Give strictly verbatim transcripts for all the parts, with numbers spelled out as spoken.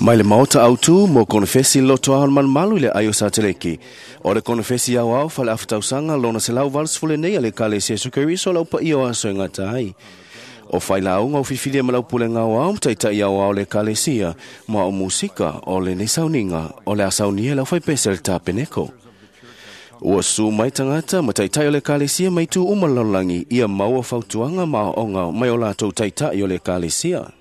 Mai le maota autu mo konefesi loto ao malumalu i le aio sateleki. O le konefesi au au fale afatausanga lona se lau valusefulu nei a le Ekalesia Iesu Keriso lau paia o aso e gata ai. O failauga o fifilia ma lau pulega aoao ma taitai aoao le Ekalesia ma o musika o lenei sauniga o le a saunia e le aufaipese a le tapeneko. Ua su mai tagata ma taitai o le Ekalesia mai itu uma o le lalolagi ia maua fautuaga ma aoaoga mai o latou taitai o le Ekalesia.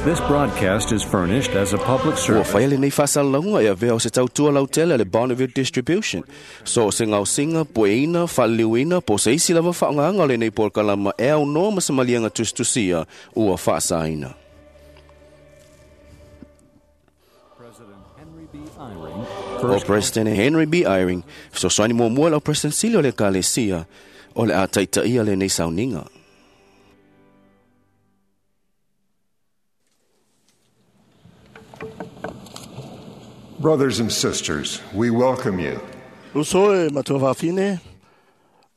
This broadcast is furnished as a public Ua service. faia lenei faasalalauga e avea o se tautua lautele a le Bonneville Distribution. So o se gaosiga, pueina, faaliliuina po o se isi lava faaaogaga o lenei polokalama e aunoa ma se maliega tusitusia ua faasaina. President Henry B. Eyring, O first President Henry B. Eyring, fesoasoani muamua lau President sili o le Ekalesia o le a taitaia lenei sauniga. Brothers and sisters, we welcome you Uso e matua faafine,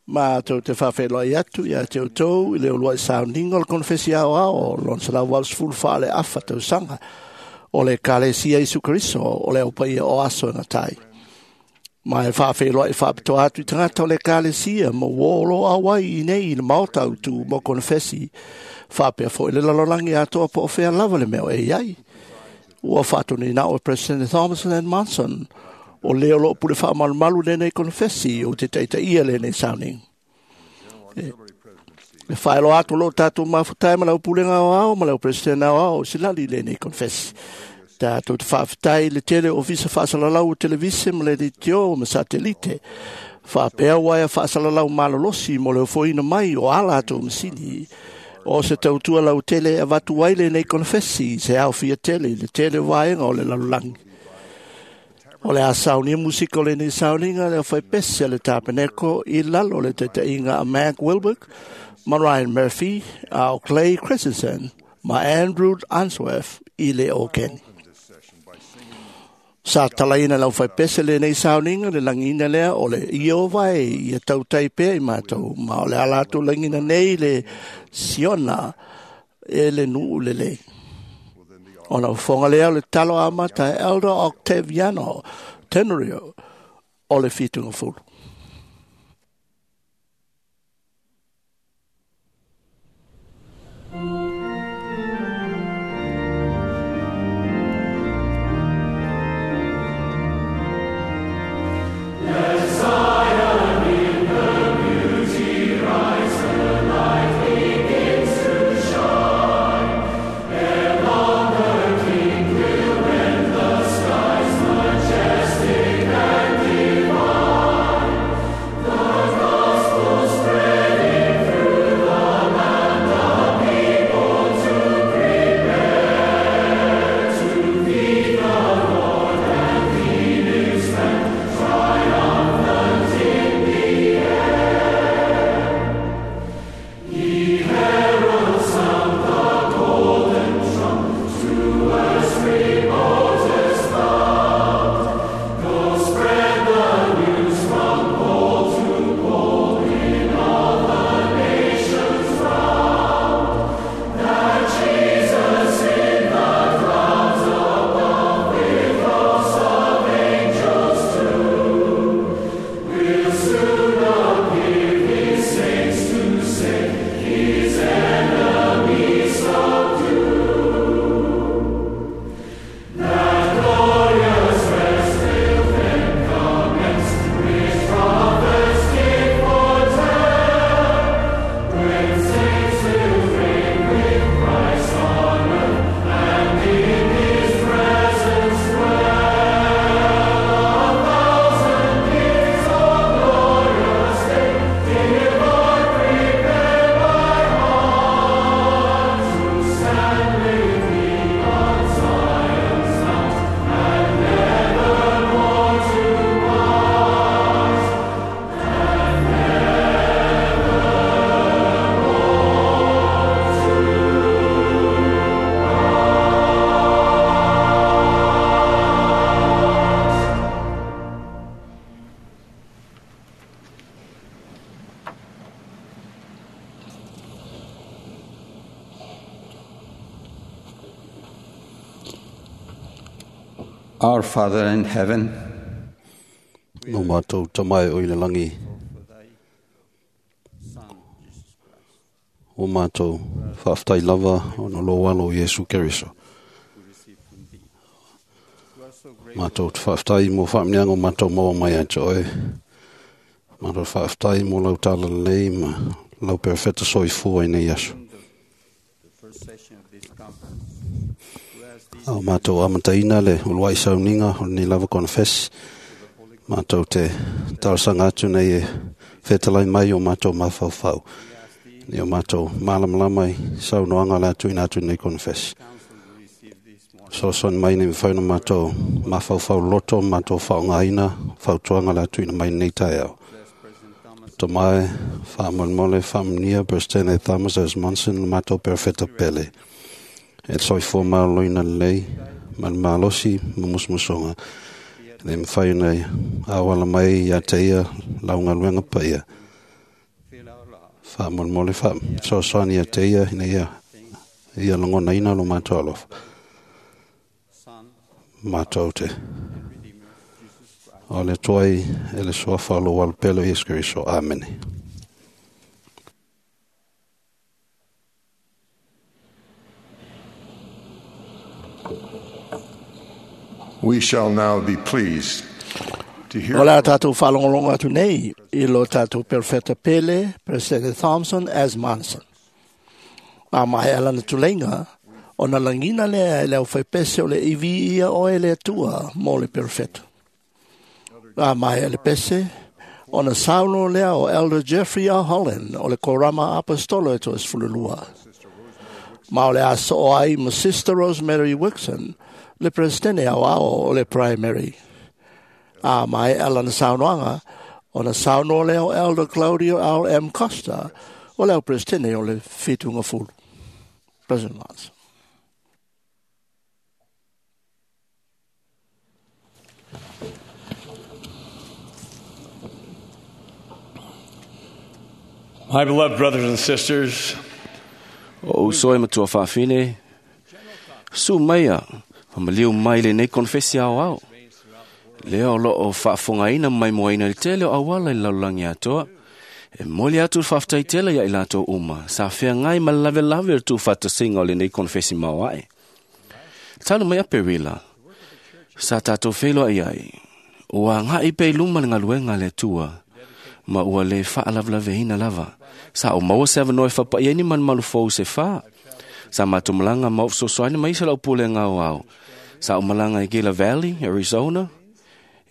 matou te faafeiloai atu ia te outou i le uluai sauniga o le konefesi aoao lona selau valusefulu faaleafa tausaga o le Ekalesia Iesu Keriso o le aupaia o aso e gata ai. Ma e faafeiloai faapitoa atu i tagata o le Ekalesia ma uō o lo o auai i nei i le maota autu mo konefesi faapea foi le lalolagi atoa po o fea lava le mea o e i ai. Ua faatonuina o President Thomas N. Monson o lea o loo pule faamalumalu lenei konefesi o te taitaia lenei sauniga. E faailoa atu o loo tatou mafutai ma lau pulega aoao ma lau President aoao o silali lenei konefesi. Tatou te faafetai i le tele o ofisa faasalalau o televise ma le leitio ma satelite. Faapea uaea faasalalau malolosi mo le ofoina mai o ala latou masini. O se tautua lautele e avatu ai lenei konefesi i se aofia tele i le tele o vaega o le lalolagi. O le a saunia musika o lenei sauniga le aufaipese a le tapeneko i lalo o le taitaiga a Mac Wilberg ma Ryan Murphy, a o Clay Christensen ma Andrew Unsworth i le okeni. Sa talaina le aufaipese lenei sauniga le lagiina lea o le Ieova e ia tautai pea i matou, ma o le a latou lagiina nei le Siona e le nuu lelei. Ona ufoga lea o le talo amata e Elder Octaviano Tenorio o le Fitugafulu. Majestic and divine. Our Father in heaven, No mātou tamai o i le langi. O mātou whaaftai lava o no lo walo Iesu Keriso. Mātou te whaaftai mō whaamniango mātou maua mai a te oe. Mātou whaaftai mō lau tala lei ma lau perfeta soifua i nei aso. Au mātou amataina le uluai sauninga o nei lava confess. Mātou te talasanga atu nei e whetalai mai o mātou mawhauwhau. Ni o mātou mālamalama i saunoanga le atu ina atu nei confess. So son mai nei mwhaina mātou mawhauwhau loto, mātou whaongaina, whautuanga le atu ina mai nei tai au. To mai, whaamolmole, whaamnia, Bristene Thomas as Monson, mātou perfeta pele. E soifua maloloina lelei, ma le malosi ma musumusuga. E le mafai ona auala mai ia te ia laugaluega paia. Faamolemole faasoasoani ia te ia ina ia ia lagonaina lo matou alofa. Matou te o le Atua e le suafa o lou alopele o Iesu Keriso. Amene. We shall now be pleased to hear O la tātou whalongolonga atu nei i lo tātou perfeta pele, President Thompson as Manson. A mai alana tulenga, o na langina lea e leo whaipese o le iwi ia o e le atua mō le perfeta. A mai ele pese, o na sauno lea o Elder Jeffrey R. Holland o le Korama Apostolo e to esfululua. Ma o le aso o ai ma Sister Rosemary Wixon, le presidente au ao o le primary. A mai alana saunoanga, o na sauno lea o Elder Claudio R. M. Costa, o leo presidente o le Fitunga Fulu. President Lance. My beloved brothers and sisters, O uso e matua whaafine, su maia, whamaliu mai le nei konfesi ao ao. Lea o lo o whaafongaina mai moaina le tele o awala i lalulangi atoa. E moli atu le whaaftai tele ia i latou uma, sa whea ngai ma lave lave le tū whatasinga o le nei konfesi mauae. Talu mai a perila, sa tātou wheloa i ai, ua ngai pe luma le ngaluenga le tua, ma ua le whaalavelaveina lava. Sa o maua se awanoe whapai ni man malu fou se wha. Sa mātou malanga ma ofsosoani mai se lau pule ngau au. Sa o malanga i Gila Valley, Arizona,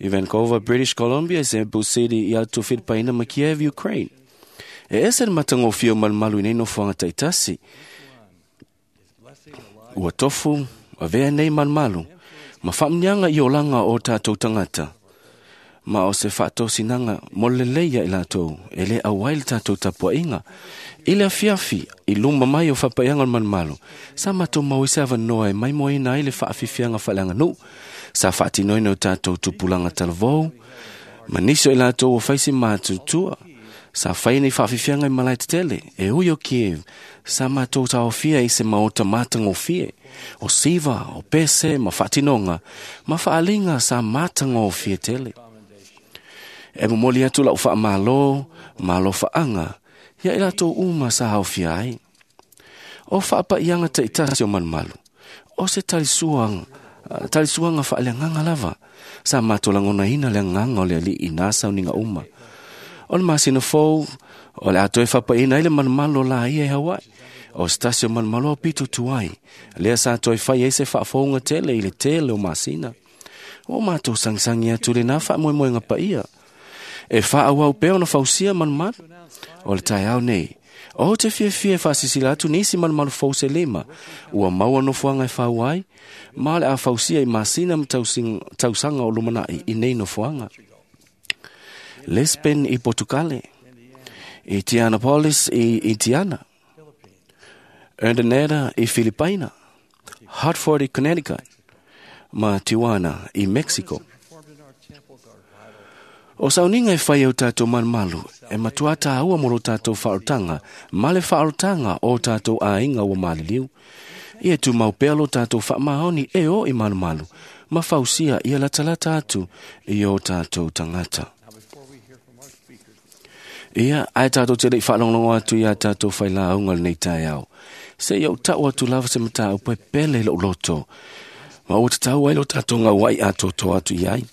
i Vancouver, British Columbia, Cebu City, i atu Filipaina ma Kiev, Ukraine. E ese le matagofie o malumalu i nei nofoaga taitasi. Ua tofu, avea nei malumalu, ma faamniaga i olaga o tatou tagata. Ma o se faatosinaga mo le lelei ia i latou, e lē auai le tatou tapuaʻiga. I le afiafi, i luma mai o faapaiaga o le malumalu, sa matou mau ai se avanoa e maimoaina ai le faafiafiaga faaleaganuu, sa faatinoina o tatou tupulaga talavou, ma nisi o i latou ua faisi matutua, sa fai nei faafiafiaga i malae tetele, e ui o Kiev, sa matou taofia i se maota matagofie, o siva, o pese, ma faatinoga, ma faaliga sa matagofie tele. E momoli atu lau faamālō, malo faaga, ia i latou uma sa haofia ai. O faapaiaga taitasi o malumalu, o se talisuaga, talisuaga faaleagaga lava, sa matou lagonaina le agaga o le alii i nā sauniga uma. O le masina fou, o le a toe faapaina ai le malumalu o laia e Hawaii. O se tasi o malumalu au pito tuai, lea sa toe fai ai se faafouga tele i le tele o masina. O matou sagisagia atu lenā faamoemoega paia. E faaauau pea ona fausia malumalu. O le taeao nei, o te fiafia e faasisila atu nisi malumalu fou se lima, ua maua nofoaga e fau ai, ma o le a fausia i masina ma tausaga o lumanai i nei nofoaga. Lisbon i Portugale, i Tianapolis i Indiana, Urdaneta i Filipaina, Hartford i Connecticut, ma Tijuana i Mexico. O sauniga e fai au tātou malumalu, e matua tāua mo lo tātou whaorotanga, ma le whaorotanga o tātou āinga ua maliliu. Ia tu mau pea lo tātou whaamaoni e o i malumalu, Ma fausia ia latalata atu i o tātou tangata. Ia, ai tātou te lei whaalonglongo atu ia tātou whai la unga lenei tai au. Se iau tau atu lava se mata au pe pele lo loto. Ma o te tau ai lo tātou ngā wai a toto atu iai.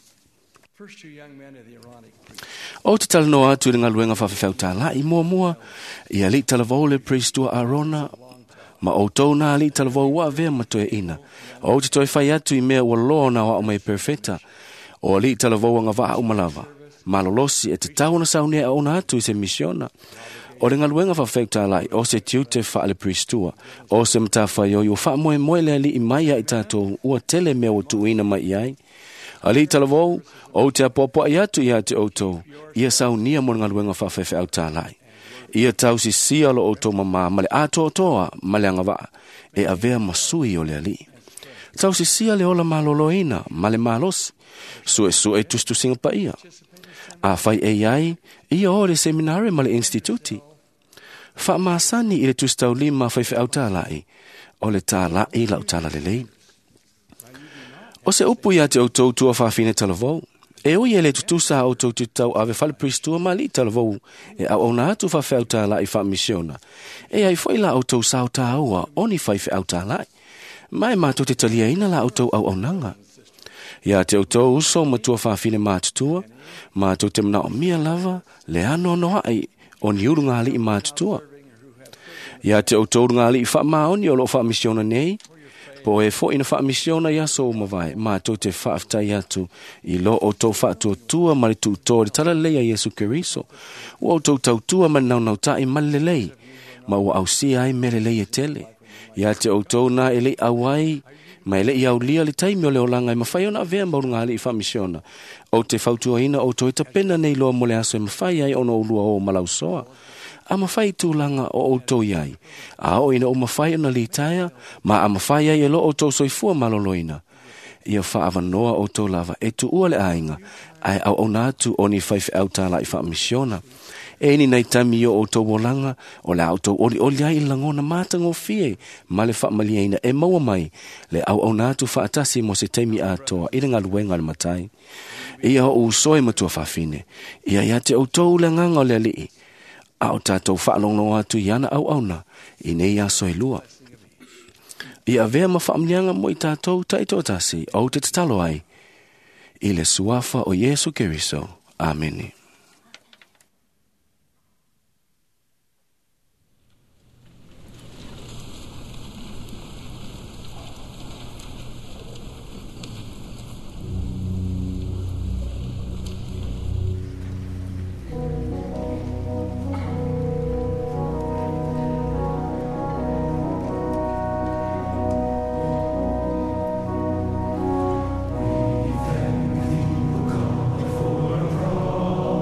O te talanoa atu i le galuega faafefeau i muamua, ia alii talavou le priestua Arona, ma outou na alii talavou ua avea ma toeaina. O te toe fai atu i mea ua loa ona aoao mai perfeta, o alii talavou agavaa uma lava. Malolosi e tatau ona saunia ona atu i se misiona. O le galuega faafefeau o se tiute faale priestua, o se matafaioi ua faamoemoe le alii mai ai tatou ua tele mea ua tuuina mai i ai. Alii talavou, o te apoapoai atu ia te outou, ia saunia mo le galuega faafefeau tālai. Ia tausisia lo outou mamā ma le atoatoa ma le agavaa, e avea ma sui o le alii. Tausisia le ola maloloina ma le malosi, suesue tusitusiga paia. Afai e iai, ia o le seminare ma le instituti. Faamasani i le tusitaulima faifeau tālai, o le tālai lau talalelei. O se upu ia te outou tua faafine talavou, e ui e le tutusa a outou tutau ave fale priestua ma alii talavou, e auauna atu faafeau tālai faamisiona. E ai foi la outou sao tāua o ni faifeau tālai, ma e mātou te taliaina la outou auaunaga. Ia te outou uso ma tua faafine mātutua, mātou te manaomia lava le anoanoai o ni ulu ngā alii mātutua. Ia te outou ngā alii faamaoni o loo faamisiona nei, po e foi na faamisiona ia so mavae, mātou te faafetai atu i lo outou faatuatua ma le tuutoa le talalelei a Iesu Keriso. Ua outou tautua ma le naunautai ma le lelei, ma ua ausia ai mea lelei e tele. Ia te outou na e lei auai, ma e lei aulia le taimi o le olaga e mafai ona avea ma uluga alii faamisiona. O te fautuaina outou e tapena nei loa mo le aso e mafai ai ona oulua o malausoa. A mafai tulaga o outou iai, a o ina o mafai ona litaea, ma a mafai ai e lo outou soifua maloloina. Ia faavanoa outou lava e tuua le aiga, ae auauna atu o ni faifeau tālai faamisiona. E ni nei taimi o outou olaga, o le a outou olioli ai i le lagona matagofie ma le faamaliaina e maua mai le auauna atu faatasi mo se taimi atoa i le galuega a le matai. Ia o usoe matua faafine, ia ia te outou le agaga o le alii, a o tātou whaalongo atu i ana auauna i nei aso e lua. Ia avea ma faamnianga mo i tātou taitoatasi o te tatalo ai, i le suafa o Iesu Keriso. Amene. For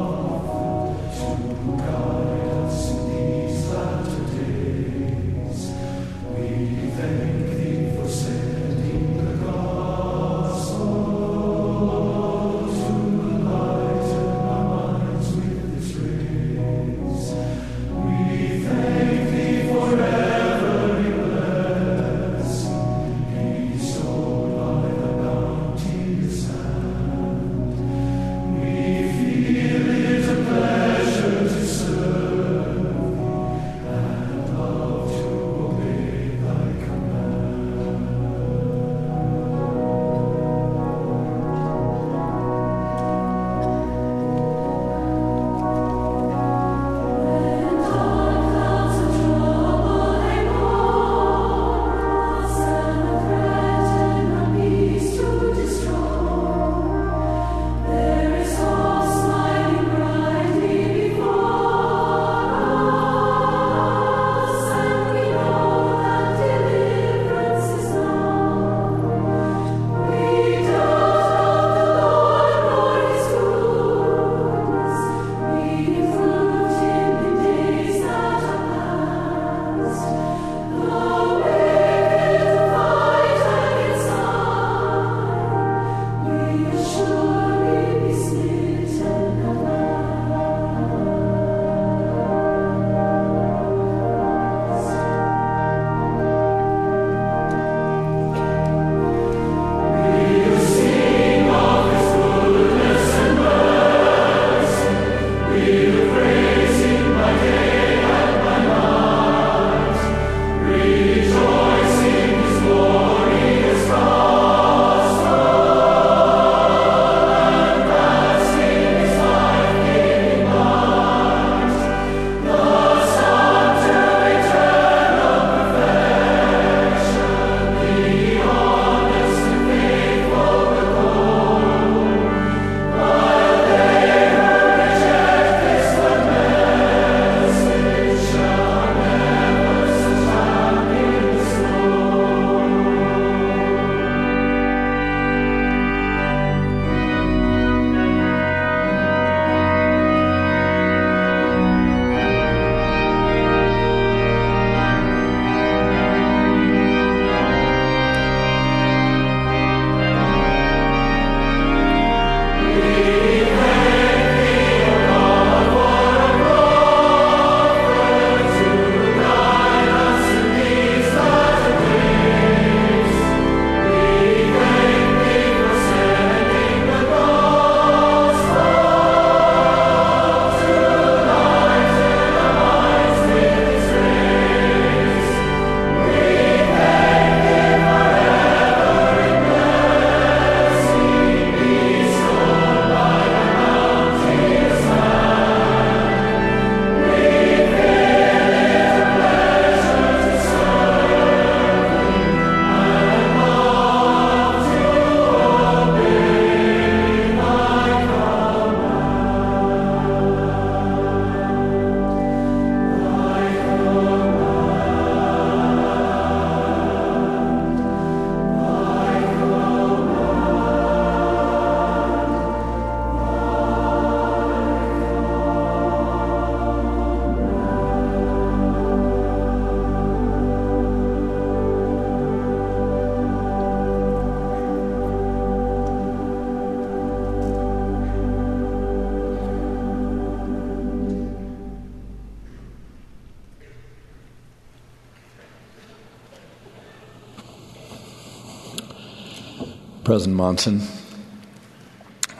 President Monson,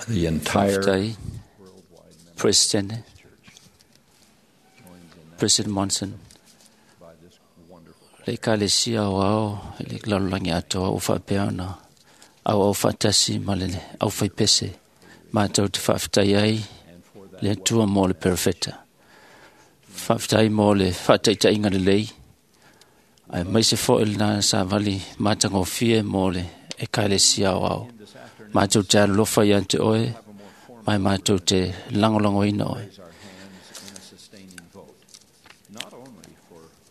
the entire Faafetai President President Monson le Ekalesia o ao i le lalolagi atoa ua faapea ona auau faatasi ma le aufaipese matou te faafetai ai le Atua mo le perofeta. Faafetai mo le faataitaiga lelei aemaise foi lena savali matagofie mo le Ekalesia o ao. Matou te alolofa ia te oe ma e matou te lagolagoina oe.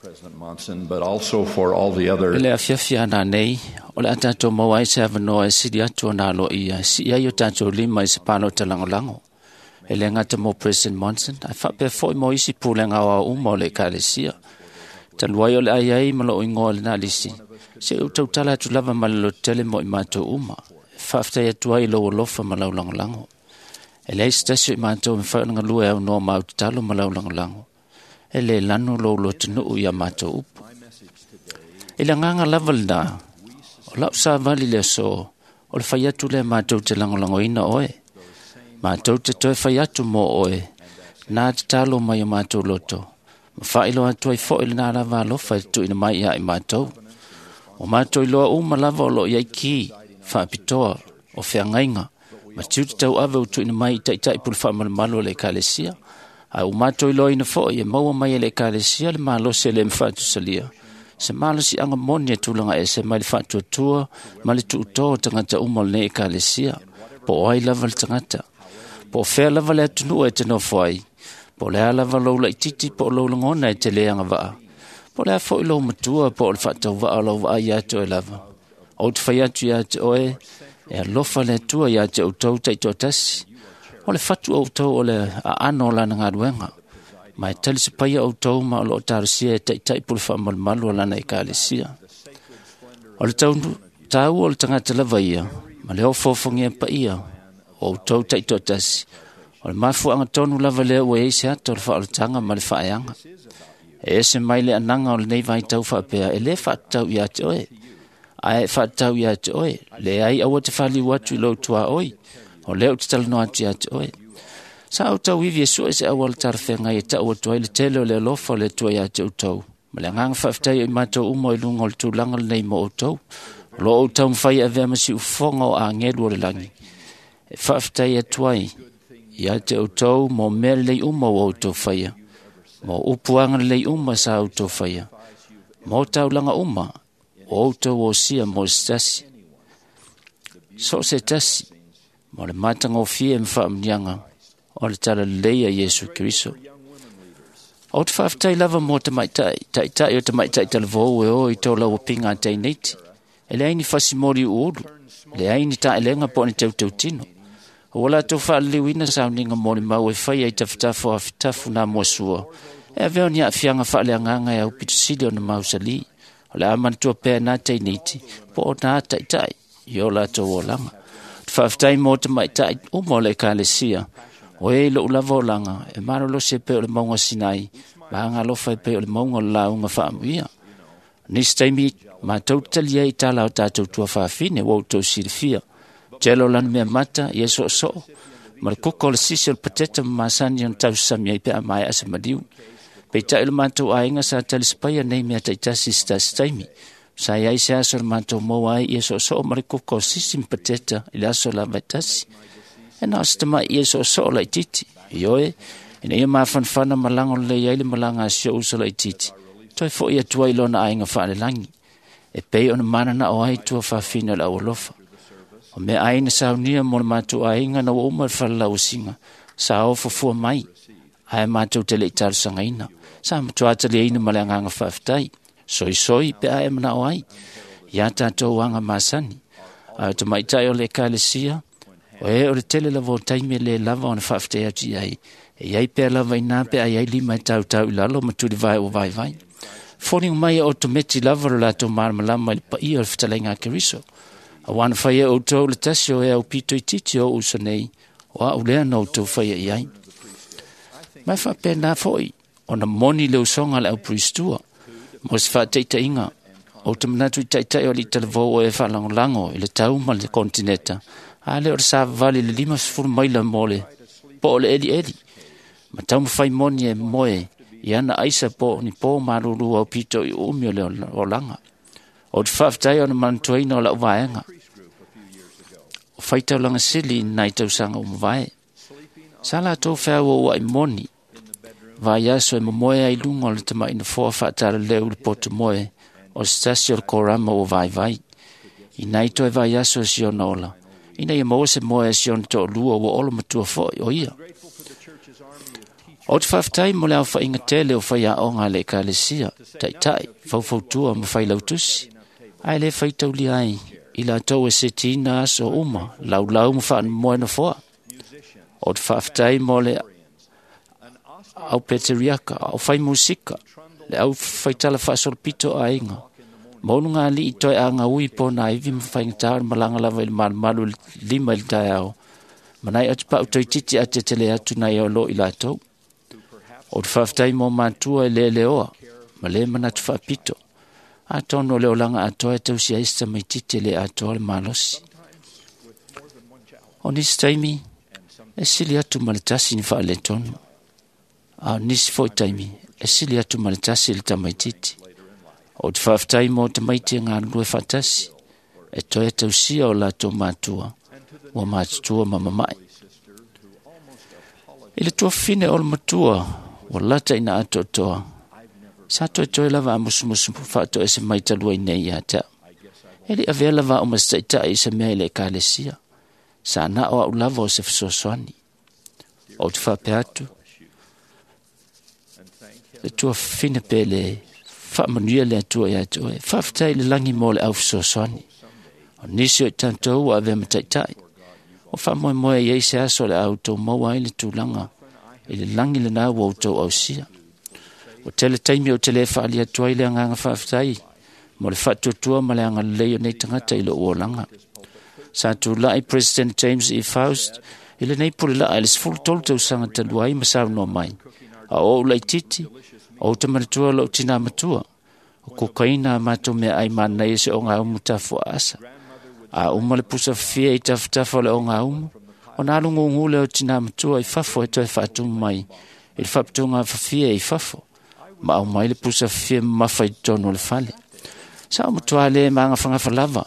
President Monson, but also for all the other I le afiafi ana nei, o le a tatou maua ai se avanoa e sili atu ona aloaia, e sii ai o tatou lima i se palota lagolago. E le gata mo President Monson, ae faapea foi mo isi pulega aoao uma o le Ekalesia. Talu ai o le a i ai ma lou igoa i lena lisi, se i ou tautala atu lava ma le lototele mo i matou uma. E faafetai atu ai i lou alofa ma lau lagolago. E leai se tasi o i matou e mafai ona galue aunoa ma au tatalo ma lau lagolago. E le lanu lou lotonuu ia matou upu. I le agaga lava lena, o lau savali le aso, o le fai atu lea matou te lagolagoina oe. Matou te toe fai atu mo oe, nā tatalo mai o matou loto. Ma faailoa atu ai foi lena lava alofa e tuuina mai ia i matou. O matou iloa uma lava o loo i ai ki, faapitoa, o feagaiga, ma tiute tauave ua tuuina mai i taitai pule faamalumalu o le Ekalesia. Ae ua matou iloaina foi e maua mai e le Ekalesia le malosi e le mafatusalia. Se malosiaga moni e tulaga ese mai le faatuatua ma le tuutō o tagata uma o lenei Ekalesia, po o ai lava le tagata. Po o fea lava le atunuu e te nofo ai, po o le a lava lou laitiiti po o lou lagona e te le agavaa, po o le a foi lou matua po o le faatauvaa o lau vaai ia te oe lava. Ou te fai atu ia te oe, e alofa le Atua ia te outou taitoatasi. O le fatu outou o le aano o lana galuega, ma e talisapaia outou ma o loo talosia e taitai pule faamalumalu o lana Ekalesia. O le taua o le tagata lava ia, ma le ofoofogia paia o outou taitoatasi, o le mafuaaga tonu lava lea ua i ai se ata o le faaolataga ma le faaeaga. E ese mai le anaga o lenei vaitau faapea, e le faatatau ia te oe, ae faatatau ia te oe, leai aua te faliu atu i lou tuaoi, o lea ou te talanoa atu ia te oe. Sa outou ivi e sue se auala talafeagai e tau atu ai le tele o le alofa o le Atua ia te outou, ma le agaga faafetai o i matou uma i luga o le tulaga lenei mo outou. O loo outou taumafai e avea ma siufofoga o agelu o le lagi. E faafetai atu ai ia te outou mo mea lelei uma ua outou faia, mo upu agalelei uma sa outou faia, mo taulaga uma o outou osia mo se tasi. So se tasi, mo le matagofie ma faamuniaga o le talalelei a Iesu Keriso. O te faafetai lava mo tamaitai, taitai o tamaitai talavou e o i tō lau pinga a teineiti. E leai ni fasimoli uulu, leai ni taelega po o ni teuteutino. Ua latou faaliliuina sauniga mo le mau e fai ai tafatafa o afitafu nā muasua. E avea o ni aafiaga faaleagaga e aupitosili ona mausali. O le a manatua pea nā teineiti po o nā taitai i o latou olaga. Te faafetai mo tamaitai uma o le Ekalesia. O e i lou lava olaga, e malolosi e pei o le mauga Sinai, ma agalofa e pei o le mauga o le lauga faamuia. Nisi taimi, matou te talia i tala o tatou tuafafine ua outou silafia. Tele o lana mea mata, ia soosoo, ma le kuka o le sisi o le pateta ma masani ona tausasami ai pe a maea se maliu. Peitai o le matou aiga sa talisapaia nei mea taitasi i se tasi taimi. Sa i ai se aso o le matou maua ai ia soosoo ma le kuka o sisi ma pateta i le aso lava e tasi. E na o se tamai ia soosoo laitiiti. Ioe, ina ia mafanafana ma lago lelei ai le malaga a si ou uso laitiiti. Toe foi atu ai lona aiga faalelagi. E pei ona mananao ai tuafafine o le aualofa. O mea ai na saunia mo le matou aiga na ua uma le falalauasiga, sa ofofua mai, ae matou te le i talosagaina. Sa matua taliaina ma le agaga faafetai, soisoi pe a e manao ai, ia tatou aga masani. Ae o tamaitai o le Ekalesia, o e o le tele lava o taimi e le lava ona faafetai atu i ai, e iai pea lava inā pe a iai lima e tautau i lalo ma tulivae ua vaivai. Foliga mai e otometi lava lo latou malamalama i le paia o le fetalaiga a Keriso. Aua na fai e outou le tasi o e au pito itiiti o uso nei, o au lea na outou faia i ai. Mai faapena foi, ona moni le usoga a le aupuristua, mo se faataitaiga, O te manatu i taitai o li talavou o e whaalangolango i le tau ma le kontineta. A le o le savavali le lima sefulu maila mo le po o le eli eli. Ma tau mawhai moni e moe i ana aisa po ni pō malulu au pito i umi o le olaga. O te faafetai ona manatuaina o lau vaega. O faitaulaga sili i nai tausaga ua mavae. Sa latou feauaua'i moni vaiaso e momoe ai luga o le tama'i nofoa fa'atalaleu i le poto moe o se tasi o le korama ua vaivai. I nai toe vaiaso e si ona ola, ina ia maua se moe e si ona to'alua ua olo matua fo'i o ia. O te faafetai mo le aofa'iga tele o faiaoga a le ekalesia, taʻitaʻi, faufautua ma failautusi, ae lē faitaulia ai i latou e setiina aso uma, laulau ma fa'amoe nofoa. O te faafetai mo le au peteriaka, au fai musika, le au faitala faasolopito aiga, ma ulugalii toe agaui po na ivi ma faigata o le malaga lava i le malumalu lima i le taeao, ma nai atupa'u toeitiiti atetele atu nai o lo i latou. O te faafetai mo matua e leleoa ma lē manatu faapito, atonu o le olaga atoa e tausi ai se tamaititi e lē atoa le malosi. O nisi taimi e sili atu ma le tasi ni faaletonu, a o nisi fo'i taimi e sili atu ma le tasi le tamaititi. O te faafetai mo tamaiti e galulue faatasi e toe tausia o latou matua ua matutua ma mama'i. I le tuafafine o le matua ua lata ina atoatoa, sa toetoe lava a musumusu faatoese mai talu ai nei ia te a'u. E li'i avea lava a'u ma se taʻitaʻi i se mea i le ekalesia, sa na o a'u lava o se fesoasoani. Ou te faapea atu, le tuafafine pe le faamanuia le Atua ia te oe. Faafetai i le lagi mo le au fesoasoani. O nisi o i tatou ua avea ma taʻitaʻi, o faamoemoe i ai se aso o le a outou maua ai le tulaga i le lagi lenā ua outou ausia. O tele taimi o te lē faaalia atu ai le agaga faafetai mo le faatuatua ma le agalelei o nei tagata i lo'u olaga. Sa tula'i President James E. Faust i lenei pulela'a i le sefulu tolu tausaga talu ai ma saunoa mai, a o ou laititi, ou te manatua lo'u tinā matua, o kokaina a matou meaai manaia se ogaumu tafuaasa. A uma le pusa fafie i tafatafa o le ogaumu, ona alu gugu lea o tinā matua i fafo e toe faatumu mai i le faaputuga fafie i fafo, ma aumai le pusa fafie mamafa i totonu o le fale. Sa ou matuā lē magafagafa lava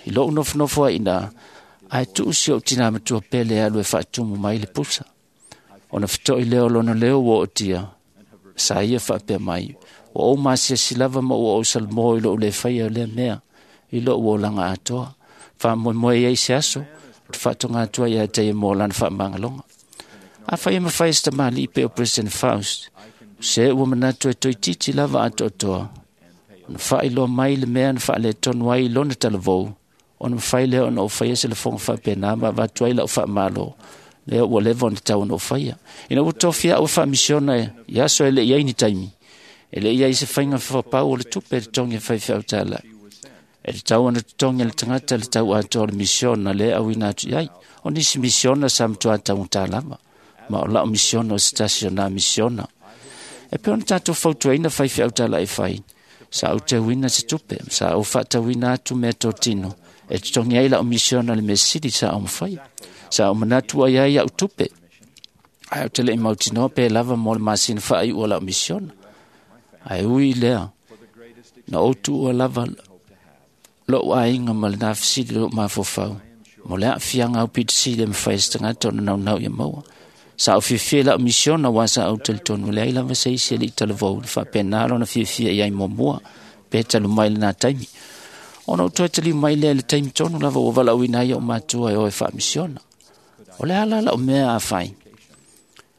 i lo'u nofonofo ai iinā, ae tuu si o'u tinā matua pele e alu e faatumu mai le pusa. Ona feto'i lea o lona leo ua ootia, sa ia faapea mai, ua ou masiasi lava ma ua ou salamo i lo'u lē faia o lea mea i lo'u olaga atoa. Faamoemoe i ai se aso, o te faatoga atu ai ia te ia mo lana faamagaloga. Afai e mafai e se tamalii pei o President Faust, se ua manatu e toeitiiti lava atoatoa, ona faailoa mai le mea na faaletonu ai i lona talavou, ona mafai lea ona ou faia se lafoga faapena ma avatu ai la'u faamalo, lea ua leva ona tatau ona ou faia. Ina ua tofia a'u e faamisiona i aso e le'i ai ni taimi, e le'i ai se faiga fapau o le tupe e totogi e faifeau tāla'i. E tatau ona totogi e le tagata le tau atoa o le misiona lea e auina atu i ai. O nisi misiona sa matuā taugata lava, ma o la'u misiona o se tasi o nā misiona. E pei ona tatou fautuaina faifeau tāla'i e fai, sa ou teuina se tupe, sa ou faatauina atu mea totino, e totogi ai la'u misiona le mea sili sa ou mafaia. Sa ou manatu ai ai a'u tupe, ae ou te le'i mautinoa pe lava mo le masina faai'u o la'u misiona. Ae ui i lea, na ou tuua lava lo'u aiga ma lenā fesili lo'u mafaufau, mo le aafiaga aupito sili e mafai e se tagata ona naunau ia maua. Sa ou fiafia i la'u misiona uā sa ou talitonu leai lava se isi e li'i talavou na faapena lona fiafia i ai muamua, pe talu mai lenā taimi. Ona ou toe taliu mai lea i le taimi tonu lava ua valaauina ai o'u matua e o e faamisiona. O le a la la'u mea a fai?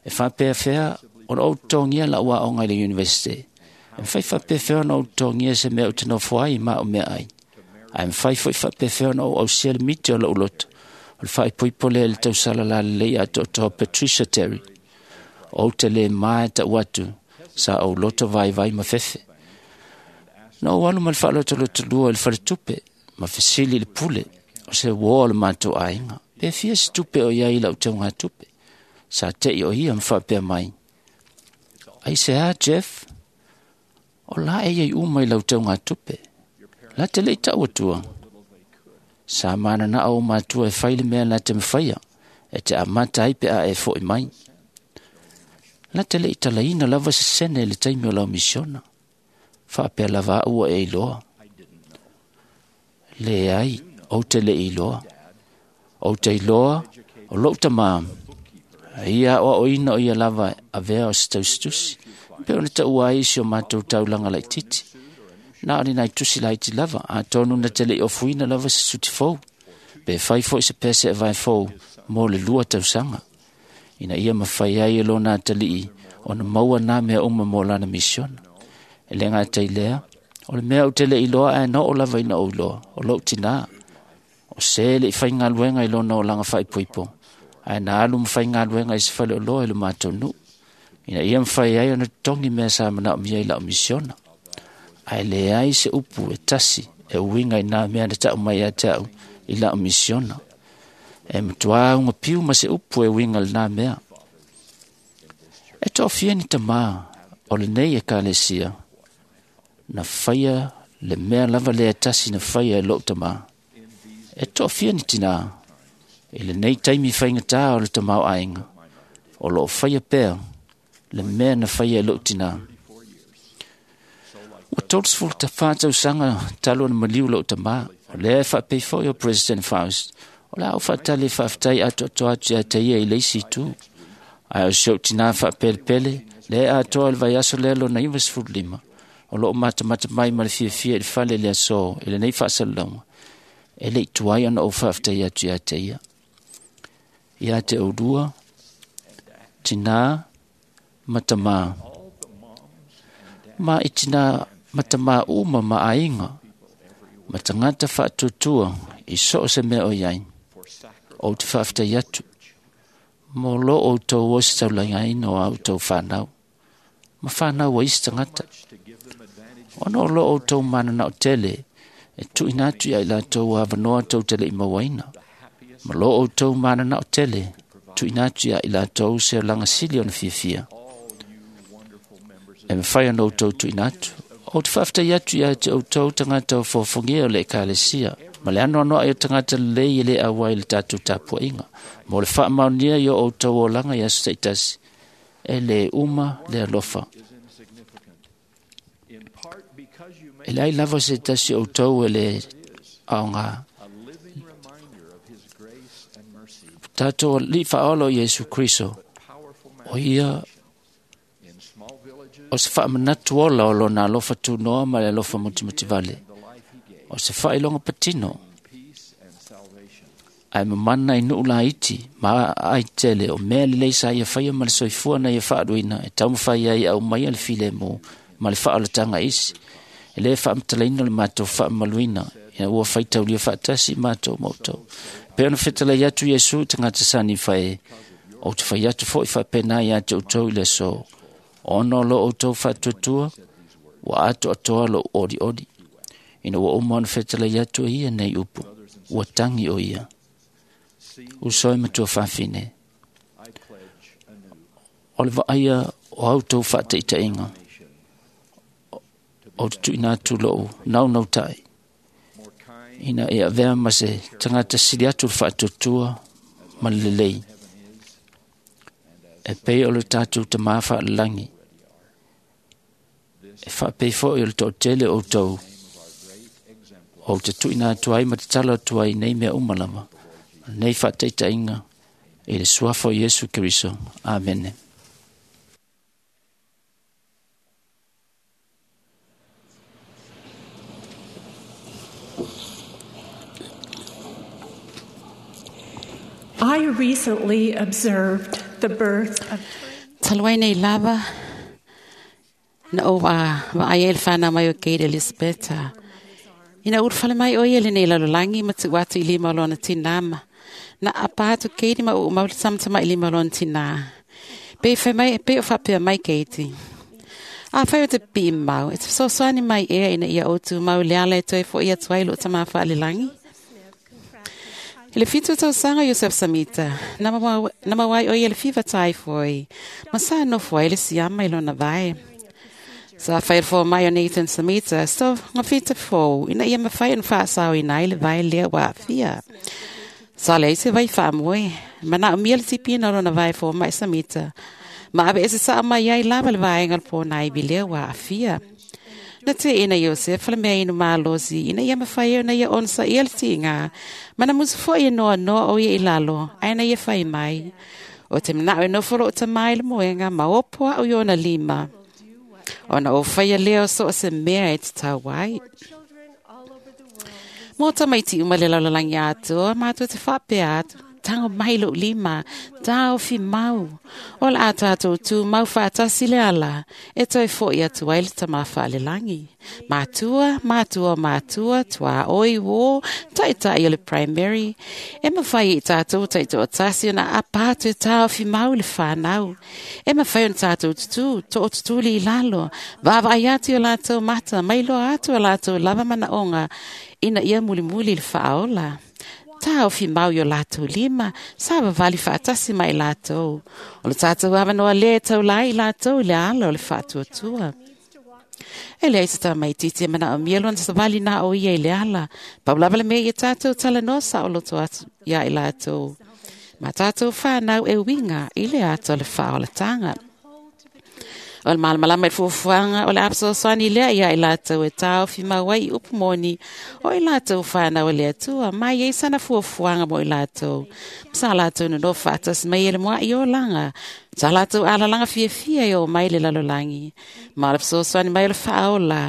E faapea ona ou totogia la'u aoga i le universite. E mafai faapefea ona ou totogia se mea ou te nofo ai ma a'u meaai. Ae mafai fo'i faapefea ona ou ausia le miti o lo'u loto, o le faaipoipo lea i le tausala lalelei atoatoa Patricia Terry. Ou te lē ma e ta'u atu, sa ou loto vaivai ma fefe. Na ou alu ma le faalotolotolua i le faletupe, ma fesili i le pule, o se uō o le matou aiga, pe fia se tupe o i ai i la'u taugatupe. Sa te'i o ia ma faapea mai, ai se a Jeff? O la e iai uma i lau taugatupe. La te lei tau atua. Sa manana o matua e fai le mea la te mafaia, e te amata ai pe a e fo'i mai. La te lei talaina lava se sene le taimi o lau misiona. Faapea lava ua e iloa. Le ai, ou te le iloa. Ou te iloa, o lou tamā. Ia o oina o ia lava avea o se tausitusi. Pe ona taua ai si o matou taulaga laititi. Na o ni nai tusi laiti lava, a tonu na te lei ofuina lava se suti fou. Pe fai foi se pese e vai fou mo le lua tausaga. Ina ia mafai ai e lona atalii ona maua nā mea uma mo lana misiona. E le ngā lea, o le mea o te le iloa ae no o lava ina o iloa, o lou tinā. O se le i whai ngā i lona o langa whaipoipo. Ae na alu mwhai ngā i se whale o loa i le mātou nu. Ina ia mwhai ai ona tongi mea sa mana o mia i lau misiona. Ae le ai se upu e tasi e uinga i nā mea na tau mai a te au i lau misiona. E matua unga piu ma se upu e uinga le nā mea. E tō ni tamā o le nei e kalesia. Na whaia le mea lava lea tasi na whaia e lou tamā. E tō ni tinā. I le nei taimi whaingatā o le tamau ainga. O loo whaia pea le mea na whaia e lou tinā. Ua tolosefulu tafā tausaga talu ona maliu lou tamā. O lea e faapei foi o President Faust. O la au faatali faafetai atoatoa atu ia te ia i le isi itu. Ae o si ou tinā faapelepele, lea atoa i le vaiaso lea lona ivasefulu lima. O loo matamata mai ma le fiafia i le fale le aso i lenei faasalalauga. E lei tuai ona ou faafetai atu ia te ia. Ia te oulua, tinā ma tamā. Ma i tinā ma tamā uma ma aiga, ma tagata faatuatua i so o se mea o iai. Ou te faafetai atu, mo lo outou ositaulagaina o a outou whanau. Ma whanau o isi tagata. Ona o lo outou mananao tele, e tuuina atu ia i latou avanoa tou te lei mauaina. Ma lo outou mananao tele, tuuina atu ia i latou se olaga sili ona fiafia. E mawhai ana outou tuuina atu. O te faafetai atu ia te outou tagata o fofogia o le ekalesia. Ma le anoanoa i o tagata lelei e le auai le tatou tapuaiga. Mo le faamaonia i o outou olaga i aso taitasi. E le uma le alofa. E le ai lava se tasi outou e le aoga. Tātou li whaolo Iesu Kriso. O ia o se whaamanatu ola o lona alofa tūnoa ma le alofa mutimutivale. O se whailonga patino. Ai mamana i nuu la iti, ma ai tele o mea lelei sa ia whaia ma le soifua na ia whaaluina e taumawhai ai au mai a le file mō ma le whaolatanga isi. E le whaamatalaina le mātou whaamaluina ina ua whaitaulia whaatasi mātou moutou. Pe ona whetalai atu Iesu tangata sani whae, o te whai atu foi whaapena i ate outou i le so. Ona o lo outou whaatuatua, ua ato atoa lo ori ori. Ina ua uma ona whetalai atu e ia nei upu, ua tangi o ia. Usoi matua whawhine. O le vaaia o autou whaateitainga. O te tuina atu lou nau nau tai. Ina e avea ma se tangata sili atu le whaatuatua ma le lelei. E pei o le tātou tamā whaalalangi. E whaapei foi o le to'atele o tau. O te tuina atu ai ma te tala atu ai nei mea uma lava. Nei whaateitainga i le suafa o Iesu Keriso. Amene. I recently observed the birth of Talu nei lava na o wa wa ai el whana mai o Kate Elizabeth. Ina urufale mai o ia le nei lalolagi ma tu'u atu i lima o lona tinā ma na apa atu Kate ma u'u mau le tamatama'i lima o lona tinā. Pe fai mai pe o faapea mai Kate. A fai o te pi'i mau, e te fesoasoani mai ea ina ia ou tumau le ala e toe fo'i atu ai lo'u tamā fa'alelagi. I le fitu tausaga Iosef Samita, na mauai o ia le fiva taifoi, ma sa nofo ai le siama i lona vae. Sa fai fo mai o Nathan Samita, so ngawhita fō, ina ia mawhai yn whaasau ina i le vai lea wa fia. Sa le se vai whaamoe, mana o mia le tipina o na vai fō mai Samita. Ma awe ese sa mai ai lava le vaenga le pōna i lea wa fia. Na te ina Iosef le mea inu mālosi, ina ia mawhai o na ia onsa ia le tinga. Mana musu fo ia noa noa o ia i lalo, aina ia whai mai. O te mana o nofolo o te mai le moenga, ma opoa o iona lima. Ona o whaia leo so o se mea e te tau ai. Mō tamaiti uma le laulalangi atoa, mātou te whapea atu, tango mai lo lima, tāo fi mau. O la a tātou tū mau whaatasi le ala, e toi fo i atu ai le tama whaalelangi. Mātua, mātua, mātua, tua oi wō, taitai o le primary. E mawhai i tātou taito o tasi ona a pātu e tāo fi mau le whānau. E mawhai ona tātou tutu, to o tutuli i lalo, wawa ai atu o lātou mata, mai loa atu o lātou lava mana onga, ina ia muli muli le whaola. Tā o fi mau i o lātou lima, sa wawali whaatasi mai lātou. O le tātou awanoa le tau lai lātou i le ala o le whaatuatua. E lea isa tā mai titi e mana o mielo na sawali nā o ia i le ala. Paulava le mea i tātou tala noa sa o loto atu ia i lātou. Ma tātou whānau e winga i le ata o le whaolatanga. O le malamalama i fuafuaga o le apasoasoani lea ia i latou e taofi mau ai i upu moni o i latou whānau e le Atua mai ai sana fuafuaga mo i latou. Sa latou nonofo faatasi mai e le moa'i o laga. Sa latou alalaga fiafia e o mai le lalolagi. Ma o le fesoasoani mai o le faaola.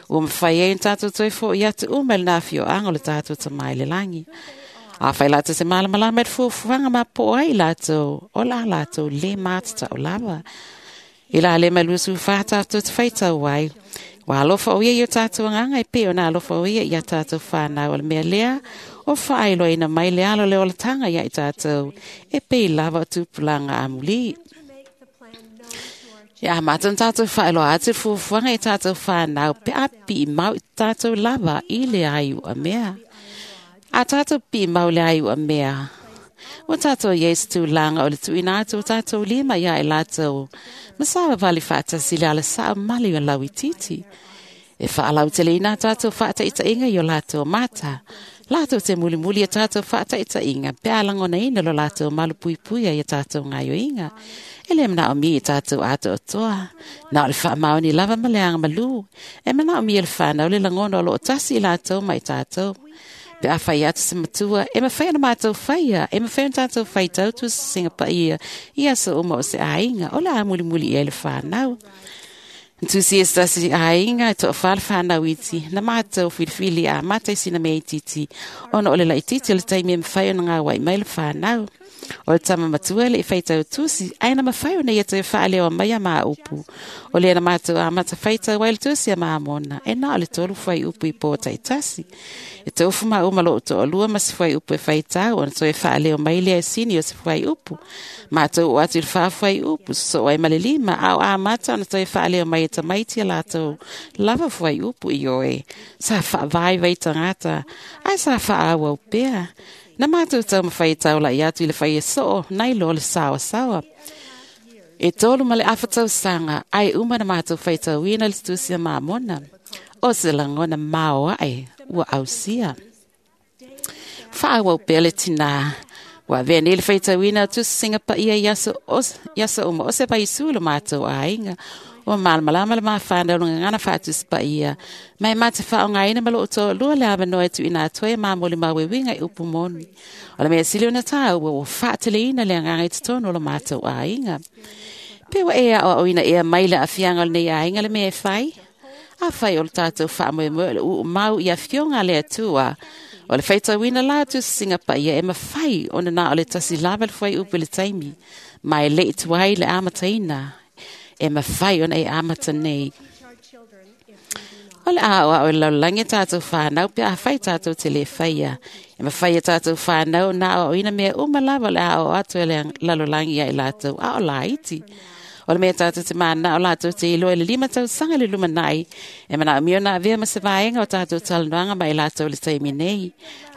Ua mafai ai ona tatou toe fo'i atu uma i lena afioaga o le tatou tamai le lagi. A whai lātou te malamalama i le fuafuaga ma po ai latou, o la latou le mātatau lava. I la le mai lusu wha tātou te whaitau ai. Wa alofa o ia i o tātou anganga e pe o nā alofa o ia i a tātou whānau o le mea lea o whaailoa ina mai le alo le olatanga ia i tātou e pe i lava o tupulanga amuli. Ia mātou tātou whaailoa atu fuafuaga i tātou whānau pe a pi mau i tātou lava i le ai ua mea. A tātou pi mau le ai ua mea. O tātou Yesu tūlanga o le tuina atu o tātou lima ia e lātou. Masawa wali whaatasi le ala saa mali o lau titi. E whaalau te leina tātou whaataitainga i o lātou mata. Lātou te muli muli e tātou whaataitainga. Pe alangona ina lo lātou malu puipuia i tātou ngaio inga. E le mana o mi i tātou ato o toa. Nā o le whaamaoni lava maleanga malu. E mana o mi e le whanau le langona o lo o tasi i lātou mai tātou. Pe a whai atu se matua, e mawhai ana mātou whaia, e mawhai ana tātou whaitau tu se singa ia, i aso uma o se āinga, o la a muli muli i le whānau. Tusi e stasi āinga, e toa whala whānau iti, na mātou whiriwhiri a mātai sina mea ititi, ona o le lai titi o le taimi e mawhai ona ngā wai mai le whānau. O le tama matua le i whaitau tusi, aina mawhai ona ia te whaaleo mai a maa upu. O le ana mātou a mata whaitau ai le tusi a maa mona, e nā o le tolu whai upu i pō taitasi. E te ufu maa uma lo o to'olua ma se whai upu e whaitau, ona toe whaaleo mai lea e sini o se whai upu. Mātou o atu i le wha whai upu, so ai ma le lima, au a mata ona toe whaaleo mai e tamaiti a lātou lava whai upu i oe. Sa whaavai vai tangata, ai sa whaawau pea. Na mātou tau mawhai tau lai atu i le whai e soo, nai lo le sawa sawa. E tolu ma le awhatau sanga, ai uma na mātou whai tau ina le tusia mā mona. O se langona mao ai, ua ausia. Whaawau pea le tina. Ua vea nei le whai tau ina tu singa pa ia iasa uma o se pai su le mātou ainga. O malamalama le mawhānau lunga ngana whātu spa ia. Mai mā te whaonga ina malo o tō lua le awa noe tu ina atoe mā moli mawe winga i upu moni. O le mea sili ona tā ua o whaatele ina le anganga i te tono o le mātou ainga. Pe wa ea o ina ea mai le awhianga o nei ainga le mea e whai. A whai o le tātou whaamoe moe le uu mau i awhionga le atua. O le whaitauina la atu singa pa ia e mawhai o nā o le tasi lava le whai upu le taimi. Mai le i tuai le amataina. E mawhai ona e amata nei. O le ao ao laulangi tātou whānau, pe a whai tātou te le whaia. E mawhai e tātou whānau, nā o ina mea uma lava le ao atu e le lalolangi ai lātou, a o la iti. O le mea tātou te mana o lātou te iloa i le lima tausaga le lumanai. E manaomia ona avea ma se vaega o tātou talanoaga ma i latou le taimi nei.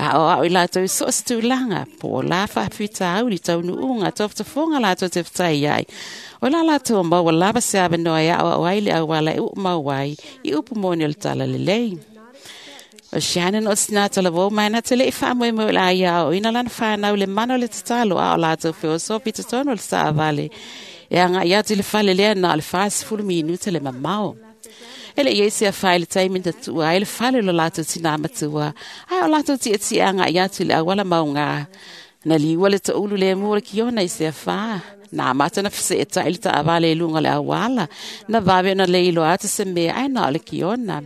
A o ao i latou i so o se tulaga, po o la faafitauli taunuuga tofotofoga latou te fetai ai. O la latou maua lava se avanoa e aoao ai le auala e uu mau ai i upu moni o le talalelei. O Shannon o tina talavou mai na te lei faamoemoe o le aia aoaoina lana fanau le mana o le tatalo a o latou feosofi i totonu o le taavale. E agai atu i le fale lea na o le fasefulu minute le mamao. E le i ai se afa i le taimi na tuua ai le fale o lo latou tinā matua, ae o latou tiatia agai atu i le auala maugā. Na liua le toulu le mu o le kiona i se afa. Na amata na feseetai le taavale i luga o le auala. Na vave ona le iloa atu se mea ae na o le kiona.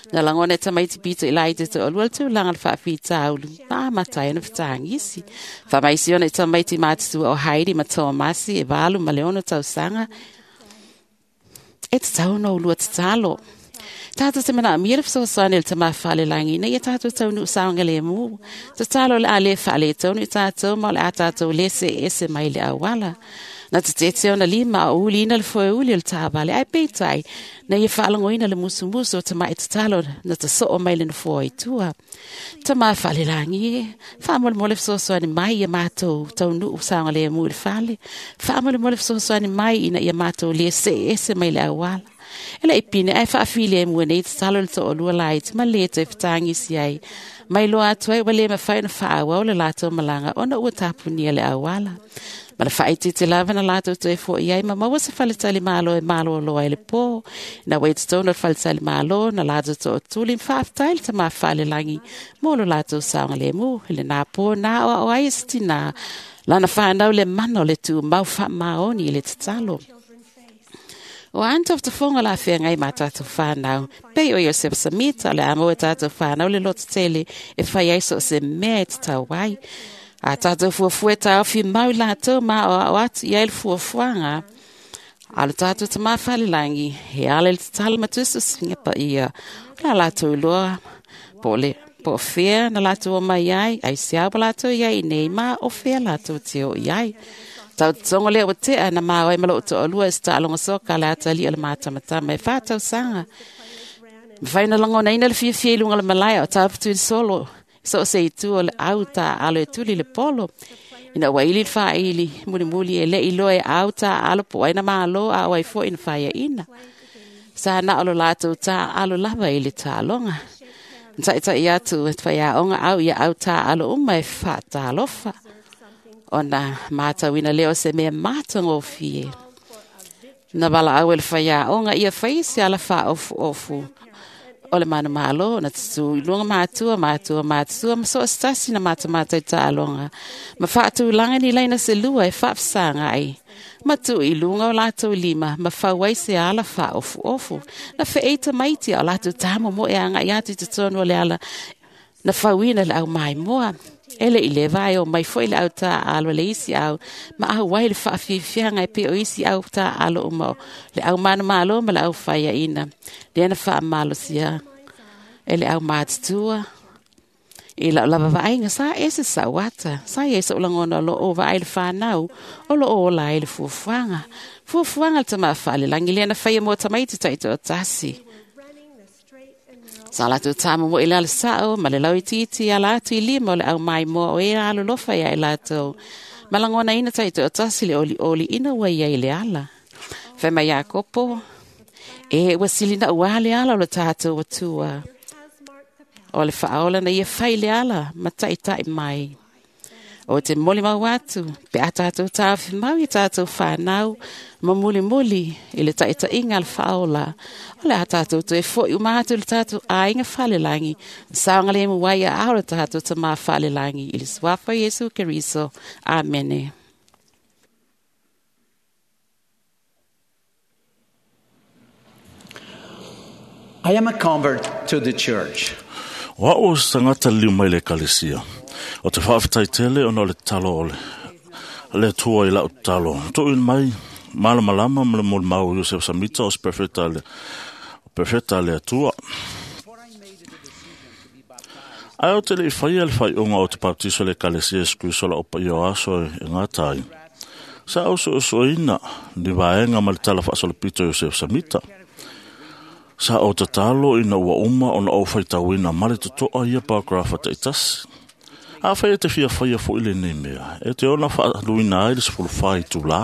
Na lagona e tamaiti pito i lai te toalua le tulaga le faafitauli, ma amata ai ona fetagisi. Faamaisi ona i tamaiti matutua o Heidi ma Tomasi e valu ma le ono tausaga. E tatau ona ulua tatalo. Tātou te manaomia le fesoasoani o le Tamā Falelagi ina ia tātou taunuu saogalemu. Tatalo o le a le faaletonu i tātou ma o le a tātou le seese mai le auala. Na te tete ona lima o uliina le foeuli o le taavale ae peitai na ia faalogoina le musumusu o tama'i tatalo na tasoo mai le nofoa i tua. Tamā Falelagi e, faamolemole fesoasoani mai ia matou taunuu saogalemu i le fale. Faamolemole fesoasoani mai ina ia matou le seese mai le auala. E le i pine ae faafilemu e nei tatalo le toalua laiti ma le toe fetagisi ai. Mai loa atu ai ua le mafai ona faaauau le latou malaga ona ua tapunia le auala. Ma le faaitiiti lava na latou toe fo'i ai ma maua se faletalimalo e malōlō ai le pō. Na ua i totonu o le faletalimalo na latou tootuli ma faafetai le Tamā Falelagi mo lo latou saogalemu. I lenā pō na aoao ai e se tinā lana fanau le mana o le tumau faamaoni i le tatalo. O a ni tofotofoga o le afeagai ma tātou whānau. Pei o Iosefo Samita o le a maua e tātou whānau le lototele e fai ai so o se mea e tatau ai. A tātou fuafua e taofi mau i latou ma aoao atu i ai le fuafuaga. A lo tātou Tamā Falelagi, he ala i le tatalo ma tusitusiga paia. O le a latou iloa po o le po o fea na latou o mai ai, ai se ua latou i ai nei ma o fea latou te o i ai. Tau totogo lea ua tea na maua ai ma lou toalua e se taaloga soka le atalii o le matamatama e fātausaga. Mafai ona lagonaina le fiafia i luga o le malae o taputu i le solo, so o se itu o le au taaalo e tuli le polo. Ina ua ili le faaili mulimuli e le'i loa e au taaalo po o ai na mālō a o ai fo'i na faiaina. Sa na o lo latou taaalo lava i le taaloga. Na taʻitaʻi atu e faiaoga au ia au taaalo uma e faatalofa. Ona matauina lea o se mea matagofie. Na valaau e le faiaoga ia fai se ala faaofuofu o le manumalo na tutū i luga matua, matua, matua, ma so o se tasi na matamata i taaloga. Ma faatulaga ni laina se lua e faafesaga ai. Ma tuu i luga o latou lima, ma fau ai se ala faaofuofu. Na feei tamaiti a o latou tamomoe agai atu i totonu o le ala na fauina le au maimoa. E le i leva ai o mai fo'i le au taaalo le isi au, ma au ai le faafiafiaga e pei o isi au taaalo uma o le au manumalo ma le au faiaina. Lea na faamalosia e le au matutua. I lau lava vaaiga sa ese sa'u ata, sa iai so'u lagona o loo vaai le fanau, o loo ola ai le fuafuaga. Fuafuaga le Tamā Falelagi lea na faia mo tamaiti taitoatasi. Sa latou tamomoe i le ala sa'o ma le lauitiiti ala atu i lima o le au maimoa o e alolofa ia i latou. Ma lagonaina taitoatasi le olioli ina ua iai le ala. Fai mai Iakopo, e ua silina'u a le ala o le tatou Atua. O le faaola na ia fai le ala ma taʻitaʻi mai. O te molimau atu, pe a tātou taofi mau i tātou whānau, ma mulimuli i le taʻitaʻiga a le faaola. O le a tātou toe fo'i uma atu i le tātou aiga falelagi, saogalemu ai aao le tātou Tamā Falelagi i le suafa o Iesu Keriso. Amene. I am a convert to the church. O ao se tagata liliu mai le ekalesia. O te faafetai tele ona o le tatalo o le le Atua i la'u tatalo. Tuuina mai malamalama ma le molimau o Iosefo Samita o se perfeta le perfeta le Atua. Ae o te le'i faia le faai'uga o te baptiso i le ekalesia Iesu Keriso la'u paia o aso e gata ai. Sa au soesoeina ni vaega ma le tala faasolopito Iosefo Samita. Sa o tatalo ina ua uma ona ou faitauina ma le totoa ia paragrafa taitasi. A fai e te fia faia fo'i lenei mea, e te ona faaluina ai le sefulu fa itulā.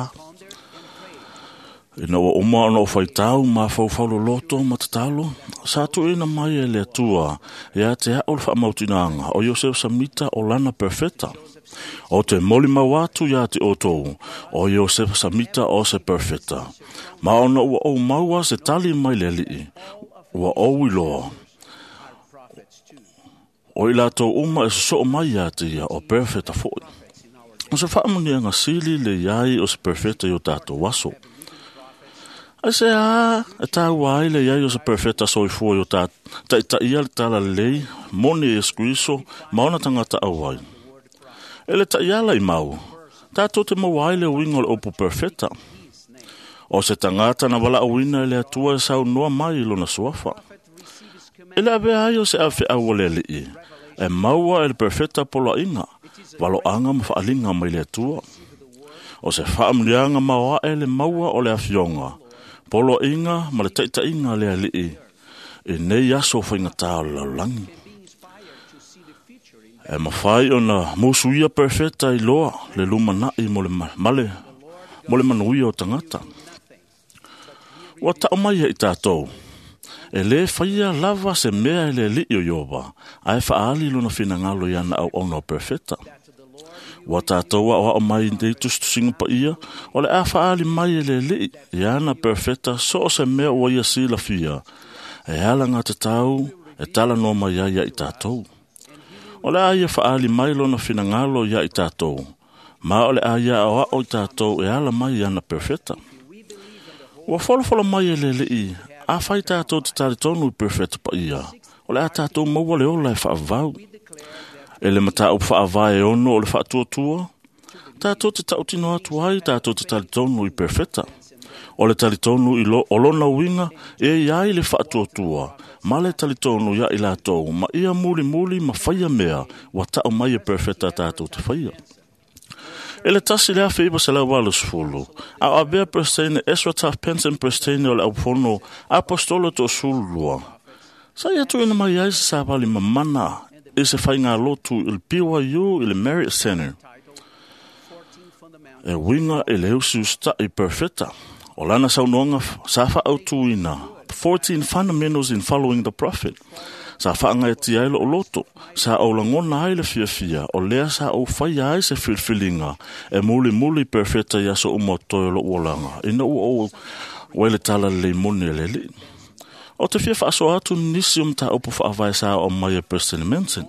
Ina ua uma ona ou faitau mafaufau loloto ma tatalo, sa tuuina mai e le Atua ia te a'u le faamautinoaga o Iosefo Samita o lana perfeta. O te molimau atu ia te outou, o Iosefo Samita o se perfeta. Ma ona ua ou maua se tali mai le Alii, ua ou iloa. O i latou uma e sosoo mai ia te ia o perfeta fo'i. O se faamuniaga sili le iai o se perfeta i o tatou aso. Ai se a e tāua ai le iai o se perfeta soifua i o tā taitaia le tala lelei, moni e Iesu Keriso, ma ona tagata auai. E le ta'iala i mau, tātou te maua ai le uiga o le upu perfeta. O se tagata na valaauina e le Atua e saunoa mai i lona suafa. E le avea ai o se afeau o le Alii, e maua e le perfeta poloaiga, valoaga ma faaliga mai le Atua. O se faamuliaga maoae le maua o le afioga, poloaiga ma le taitaiga a le Alii, i nei aso faigata o le lalolagi. E mafai ona musuia perfeta i loa le lumana'i mo le male, mo le manuia o tagata. Ua ta'u mai ai tatou, e lē faia lava se mea e le Alii o Ioba, ae faaali lona finagalo ia na auauna o perfeta. Ua tatou aoao mai nei tusitusiga paia, o le a faaali mai e le Alii ia ana perfeta so o se mea ua ia silafia, e ala gatatau e talanoa mai ai ia i tatou. O le a ia faaali mai lona finagalo ia i tatou, ma o le a ia aoao i tatou e ala mai i ana perfeta. Ua folofolo mai e le Alii, a fai tatou te talitonu i perfeta paia, o le a tatou maua le ola e faavavau. E le mataupu faavae e ono o le faatuatua, tatou te tautino atu ai tatou te talitonu i perfeta. O le talitonu i lo, o lona uiga e iai le faatuatua, ma le talitonu ia i latou, ma ia mulimuli ma faia mea, ua ta'u mai e perfeta tatou te faia. E le tasi le afe iwa selau valusefulu, a o avea Peresetene Ezra Taft Benson Peresetene o le aufono Apostolo toasululua. Sa ia tuuina mai ai se savali mamana i se faigalotu i le B Y U i le Marriott Center. E uiga i le usiusita'i perfeta. O lana saunoaga sa faautuina fourteen Fundamentals in Following the Prophet. Sa faagaetia ai loo loto, sa ou lagona ai le fiafia, o lea sa ou faia ai se filifiliga, e mulimuli perfeta i aso uma o toe o lou olaga, ina ua ou uai le tala lelei moni e le Alii. O te fia faasoa atu nisi o mataupu faavae sa o mai e President Monson.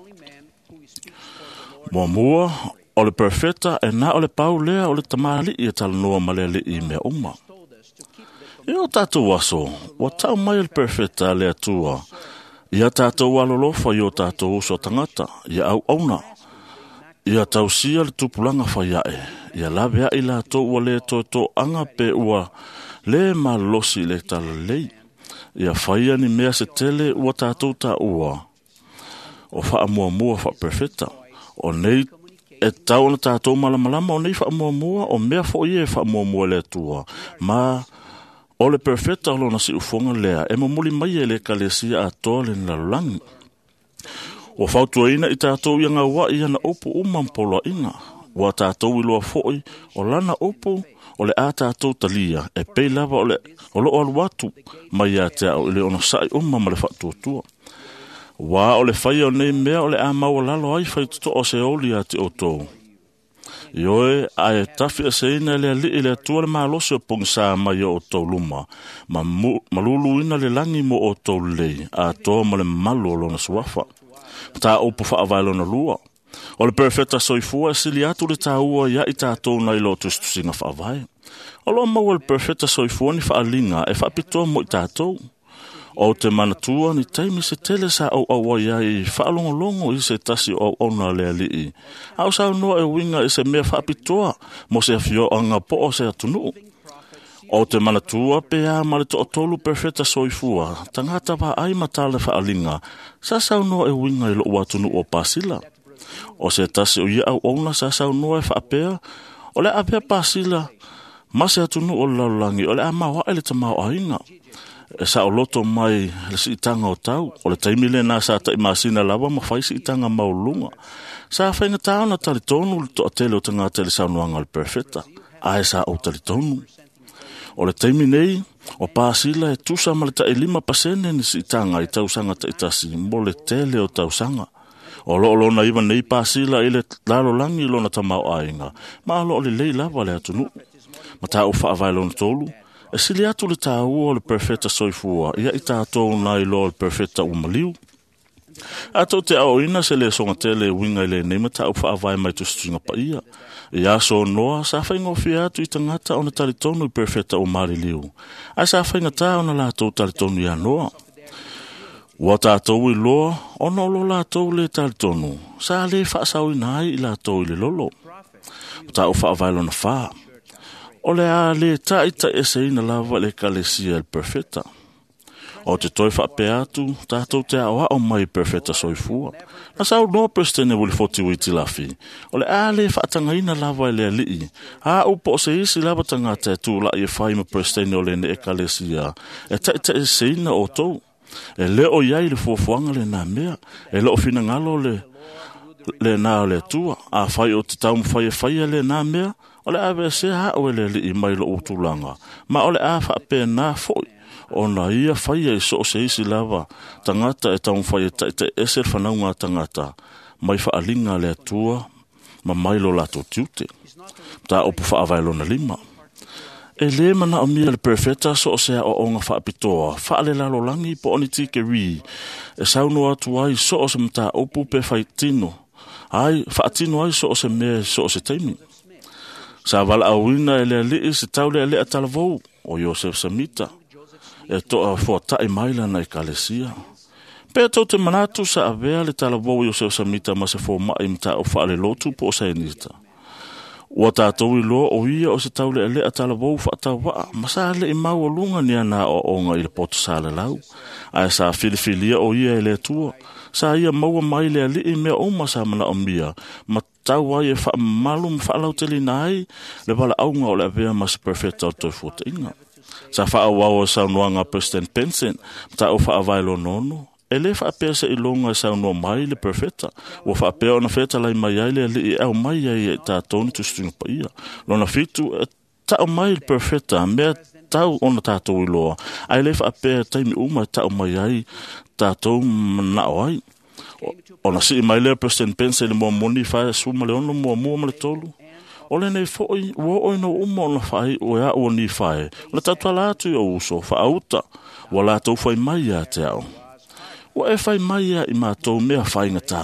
Muamua, o le perfeta e na o le pau lea o le tamalii e talanoa ma le Alii i mea uma. I o tatou aso, ua tau mai le perfeta le Atua, ia tatou alolofa i o tatou uso tagata, ia auauna, ia tausia le tupulaga faiae, ia lave a'i latou ua lē toetoaga pe ua lē malolosi i le talalelei. Ia faia ni mea se tele ua tatou taua o faamuamua faaperfeta. O nei e tau ona tatou malamalama o nei faamuamua o mea fo'i e faamuamua e le Atua. Ma o le perfeta o lona siufoga lea e momoli mai e le ekalesia atoa le lalolagi. Ua fautuaina i tatou ia gaua'i ana upu uma ma poloaiga. Ua tatou iloa fo'i o lana upu o le a tatou talia e pei lava o le o loo alu atu mai ia te a'u i le onosa'i uma ma le faatuatua. Ua o le faia o nei mea o le a maualalo ai faitotoa o se oli ia te outou. Ioe, ae tafi aseina e le Alii le Atua le malosi o pogisā mai o outou luma, ma maluluina le lagi mo outou lelei, atoa ma le mamalu o lona suafa. Mataupu faavae lona lua. O le perfeta soifua e sili atu le tāua ia i tatou nai lo tusitusiga faavae. O loo maua le perfeta soifua ni faaliga e faapitoa mo i tatou. O te manatua ni taimi se tele sa au auai ai faalogologo i se tasi o auauna le Alii. A o saunoa e uiga i se mea faapitoa mo se afioaga po o se atunuu. O te manatua pe a ma le toatolu perfeta soifua, tagata vaai ma tala faaliga, sa saunoa e uiga i lou atunuu o Pasila. O se tasi o ia auauna sa saunoa e faapea, O le a pea pasila ma se atunu o le lalolagi o le a maoaʻe le tamaoaiga e saoloto mai le siitaga o tau. O le taimi lenā sa taʻimasina lava ma fai siitaga mauluga. Sa faigatā ona talitonu le toʻatele o tagata i le saunoaga o le perfeta, ae sa ou talitonu. O le taimi nei, o pasila e tusa ma le taʻilima pasene ni siitaga i tausaga taʻitasi mo le tele o tausaga. O loo lona iwa nei pasila i le lalolagi lona tamaoaiga, ma o loo lelei lava le atunuu. Ma tāu faavae lona tolu, e sili atu le tāua o le perfeta soifua, ia i tātou nai loa le perfeta ua maliu. A tou te aoina se le songa tele winga i le nei ma tāu faavae mai tusituinga paia. I aso noa, sa whaingofia atu i tangata ona talitonu i perfeta o mariliu. Ai sa whaingatā ona lātou talitonu ia noa. Ua tātou i loa, ona o lo lātou le talitonu. Sa le whaasauina ai i lātou i le lolo. Tāu faavae lona whā. O le a le taita e seina lava le kalesia el perfeta. O te toi whaapea atu, tātou te ao ao mai perfeta soifua. Na sau noa prestene wili foti witi lafi. O le a le whaatangaina lava e le alii. A upo o se isi lava tangata e tū lai e whai ma prestene o le ne e kalesia. E taita e seina o tau. E leo iai le fuafuaga le nā mea. E leo finangalo le le nā o le atua. A whai o te tau mwhai e whaia le nā mea. O le ave se ha o le li mai lo utulanga. Ma o le a whaape nā foi. O na ia whaia i so o se isi lava. Tangata e tau mwhai e taita ese le whanaunga tangata. Mai whaalinga le atua ma mai lo lato tiute. Tā opu whaavae lona lima. E le mana o mia le perfeta so o sea o onga whaapitoa. Whaale lalo langi po oni tike ri. E sauno atu ai so o se mata opu pe whaitino. Ai, whaatino ai so o se mea so o se teimi. Sa wala awina e le alii se tau le alea talavou o Joseph Samita. E toa fuatai maila na i kalesia. Pea tau te manatu sa avea le talavou Joseph Samita ma se fōma'i mta o whaale lotu po o sainita. Ua tātou i loa o ia o se tau le alea talavou whaatawaa, ma sa le i mau lunga ni ana o onga i le poto sa le lau. Ae sa filifilia o ia e le atua, sa ia maua mai le alii mea uma sa mana o mia, ma tau ai e whaamalu ma whaalauteli ai, le wala aunga o le avea ma se perfecta o toi fuatainga. Sa whaawau o saunoanga President Benson, ma o whaavae lonono, e le whaapea se ilonga e saunoa mai le perfecta. Ua whaapea ona wheta lai mai ai le alii e au mai ai e tātou ni tusitunga paia. Lona fitu e tau mai le perfecta, mea tau ona tātou i loa. Ai le whaapea taimi uma e tau mai ai tātou manao ai. Ona sii mai lea President Benson le mua moni whae suma le ono mua mua ma le tolu. O le nei foi, ua oi no uma ona whae o ea ua ni whae. O le tatuala atu i o uso, whaauta, ua lātou whai mai ia te ao. Ua e whai mai ia i mātou mea whaingatā.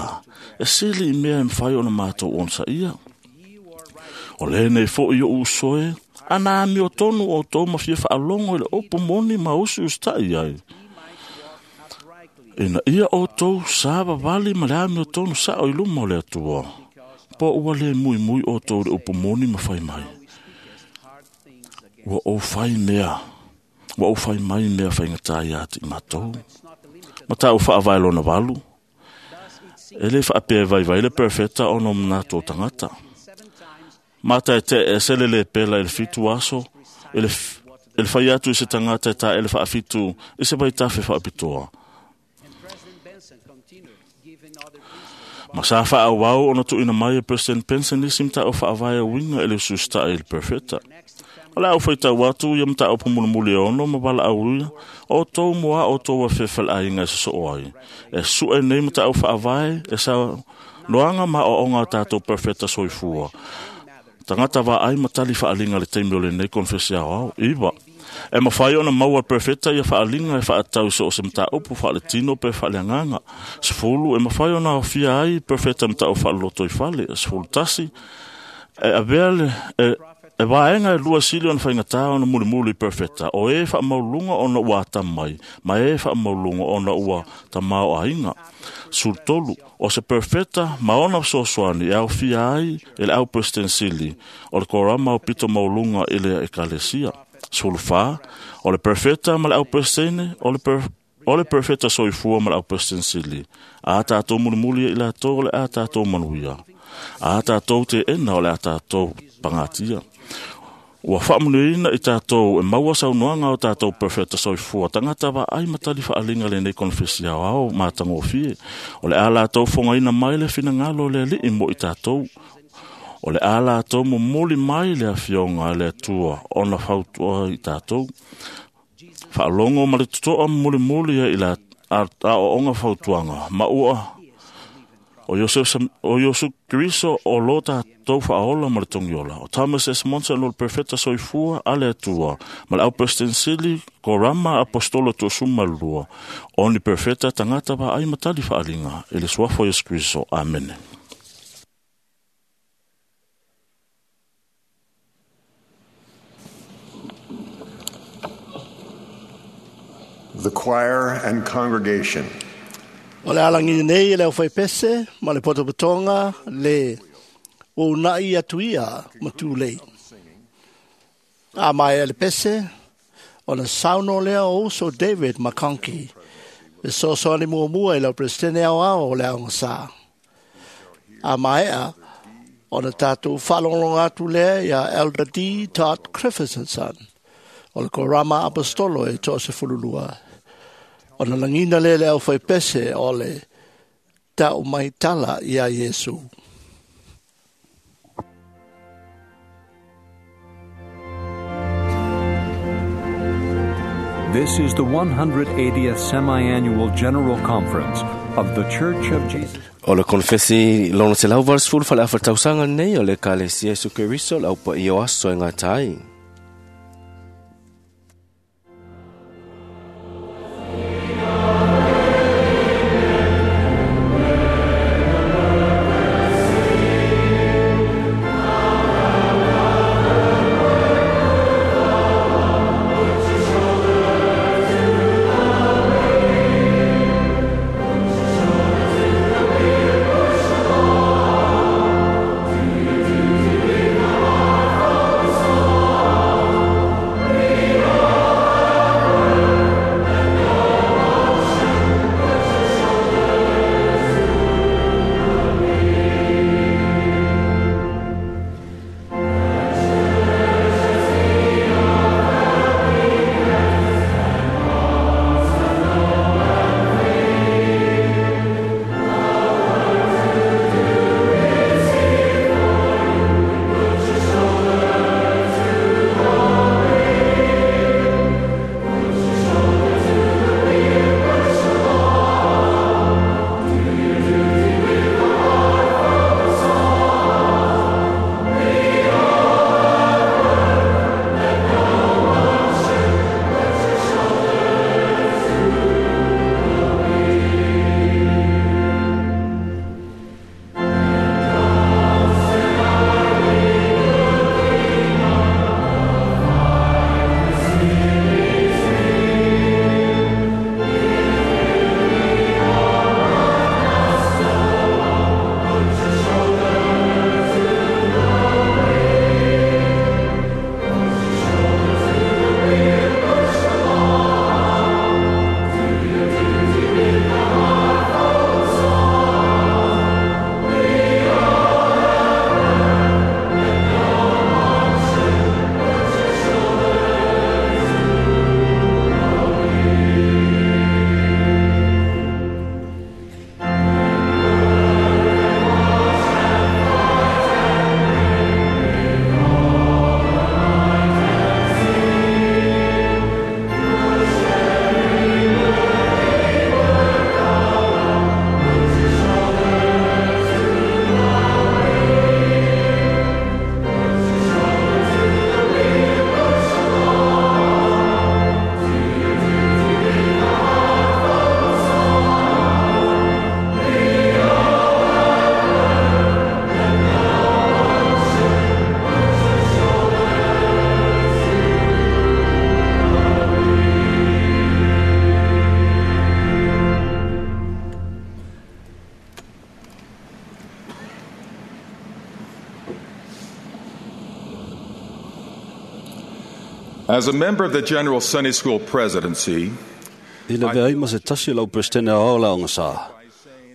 E sili i mea e mwhai ona mātou onsa ia. O le nei foi o uso e, ana ami o tonu o tō mawhia whaalongo i le opu moni ma usi ustai ai. Ina ia o tō sa wawali ma le ami o tonu sa o iluma o le atua. Po ua le mui mui o tō le opu moni ma whai mai. Ua o whai mea. Ua o whai mai mea whaingatā ia ati mātou. Ma tāu whaavae lona walu. E le whaapea vai vai le perfecta o no mnato tangata. Mata e te e sele le pela e le fitu aso, e le, e le whai atu i se tangata e tā e le whaafitu, i se vai tafe whaapitoa. Ma sa whaawau ona tuina mai e President Benson isi mta o whaavae winga e le ususta e le perfecta. O le au whaitau atu ia mta o pumulimuli ono ma wala au ia, o tō mua o tō wawhewhel a inga e saso ai. E sue nei mta au whaavae e sa noanga ma o onga tātou perfecta soifua. Tangata wa ai matali whaalinga le teimi o le nei konfesia au, iwa. E mawhai ona maua perfecta ia whaalinga e whaatau so o se mta upu whaale tino pe whaale anganga. Sefulu, e mawhai ona ofia ai perfecta mta o whaaloto i whale. Sefulu tasi, e avea le, e, e waenga e lua sili ona whaingatā ona mulimuli perfecta. O e whaamaulunga ona ua atamai, ma e whaamaulunga ona ua tamao ainga. Sultolu, o se perfecta ma ona sosoani e au fia ai e le au prestensili, o le korama o pito maulunga i le ekalesia. Sulfa, o le perfecta ma le au prestene, o le per, o le perfecta soifua ma le au prestensili. A tātou mulimuli i la tō le a tātou manuia. A tātou te ena o le a tātou pangatia. Ua whaamanuiaina i tātou e maua saunoaga o tātou profeta soifua tagata vaai ma tali faaalinga lenei konefesi aoao matagofie. O le a latou fogaina mai le finagalo o le Alii mo i tātou. O le a latou momoli mai le afioga a le Atua ona fautua i tātou. Faalogo ma le totoa molimoli ai i la aoaoga fautuaga ma ua o Iosef o Iosu Keriso o lo tātou faaola ma le togiola. O Thomas S. Monson o le profeta soifua a le Atua ma le au Peresetene Korama apostolo toasumalua. O ni profeta tagata vaai ma tali faaalinga i le suafa o Iesu Keriso. Amene. The choir and congregation. O le alangi nei e leo whaipese, ma le potopotonga, le o nai atuia ma tūlei. A mai e le pese, o le sauno lea o uso David McConkie, e sosoani muamua i lau presidente ao ao o le aoga sa. A maea, o le tātou whaalongolonga atu lea ia Elder D. Todd Christofferson, o le Korama Apostolo e toasefululua. O na langina le le au whaipese o le tau mai tala ia Iesu. This is the one hundred eightieth Semi-Annual General Conference of the Church of Jesus. O le konefesi lona selau valusefulu faleafa tausaga lenei o le Ekalesia Iesu Keriso le aupaia o aso e gata ai. As a member of the General Sunday School Presidency, I le veai ma se tasi lau presidente ao la onga sa.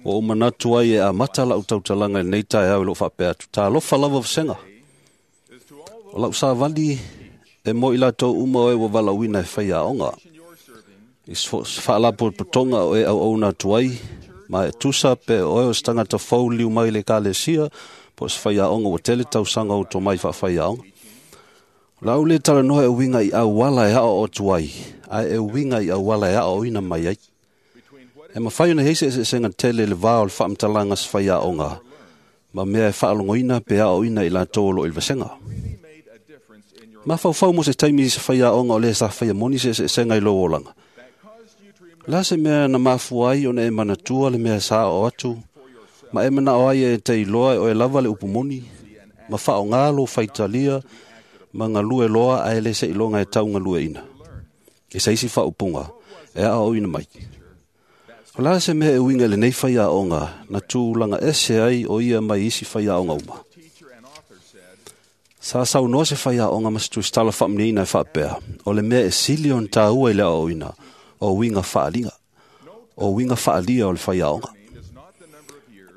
Ua ou manatu ai e amata lau tautalaga i lenei taeao i lou faapea atu, talofa lava vasega. O lau savali e mo i latou uma o e ua valaauina e faiaoga. I se faalapotopotoga o e auauna atu ai, ma e tusa pe o e o se tagata fou liu mai le ekalesia, po o se faiaoga ua tele tausaga o tomai faafaiaoga. O le a ou le talanoa e uiga i auala e aoao atu ai, ae e uiga i auala e aoaoina mai ai. E mafai ona i ai se eseesega tele i le va o le faamatalaga a se faiaoga ma mea e faalogoina pe aoaoina i latou o lo o i le vasega. Mafaufau mo se taimi i se faiaoga o le sa faia moni se eseesega i lou olaga. O le a se mea na mafua ai ona e manatua le mea sa aoao atu, ma e manao ai e te iloa e oe lava le upu moni, ma faaaoga lou faitalia ma galue loa ae le seiloga e taugalueina i se isi faaupuga e aoaoina mai. O le a se mea e uiga i lenei faiaoga na tulaga ese ai o ia mai isi faiaoga uma? Sa saunoa se faiaoga ma se tusitala faamanuiaina e faapea, o le mea e sili ona taua i le aoaoina, o uiga faaliga, o uiga faalia o le faiaoga.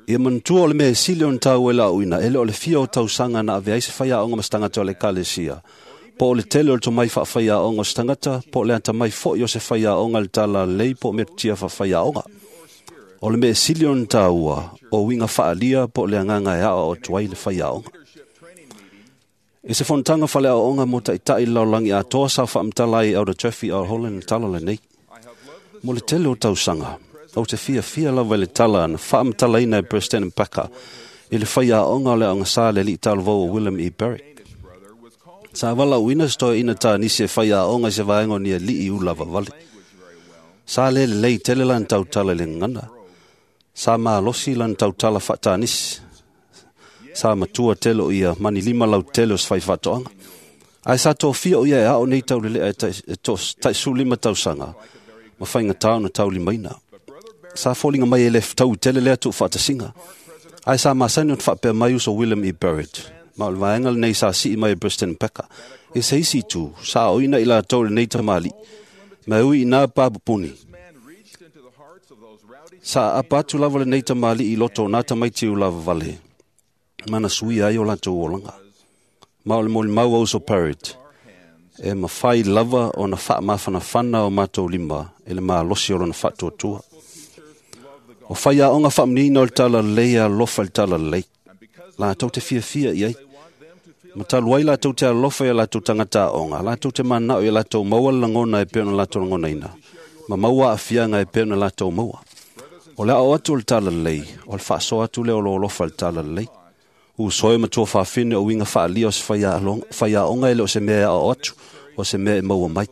Ia manatua o le mea e sili ona taua i le aoaoina, e le o le fia o tausaga na avea ai se faiaoga ma se tagata o le ekalesia, po o le tele o le tomai faafaiaoga o se tagata, po o le atamai foi o se faiaoga i le talalelei po o metotia faafaiaoga. O le mea e sili ona taua, o uiga faalia po o le agaga e aoao atu ai le faiaoga. I se fonotaga faleaoaoga mo taitai i le lalolagi atoa sa faamatala ai e Elder Jeffrey R. Holland le tala lenei. Mo le tele o tausaga, ou te fiafia lava i le tala na faamatalaina e President Packer i le faiaoga o le aoga sa le alii talavou o William E. Barrick. Sa valaauina se toeaina Tanisi e faiaoga i se vaega o ni alii ulavavale. Sa le lelei tele lana tautala i le gagana. Sa malosi lana tautala faa-Tanisi. Sa matua tele o ia ma ni lima lautele o se faifaatoaga. Ae sa tofia o ia e ao nei taulelea e taisefulu lima tausaga ma faigata ona taulimaina. Sa foliga mai e le fetaui tele lea tuufaatasiga. Ae sa masani ona faapea mai uso William E. Barrett, ma o le vaega lenei sa sii mai e President Packer. I se isi itu, sa aoaoina i latou i lenei tamalii, ma e ui inā papupuni. Sa aapa atu lava lenei tamalii i loto o nā tamaiti ulavavale, ma na suia ai o latou olaga. Ma o le molimau a uso Parrot, e mafai lava ona faamafanafana o matou lima i le malosi o lona faatuatua. O faiaoga faamanuiaina o le talalelei e alofa i le talalelei. Latou te fiafia i ai. Ma talu ai latou te alofa i a latou tagata aoga, latou te mananao ia latou maua le lagona e pei ona latou lagonaina, ma maua aafiaga e pei ona latou maua. O le aoao atu o le talalelei, o le faasoa atu lea o lou alofa i le talalelei. Uso e ma tuafafine o uiga faalia o se faiaoga e le o se mea e aoao atu, o se mea e maua mai.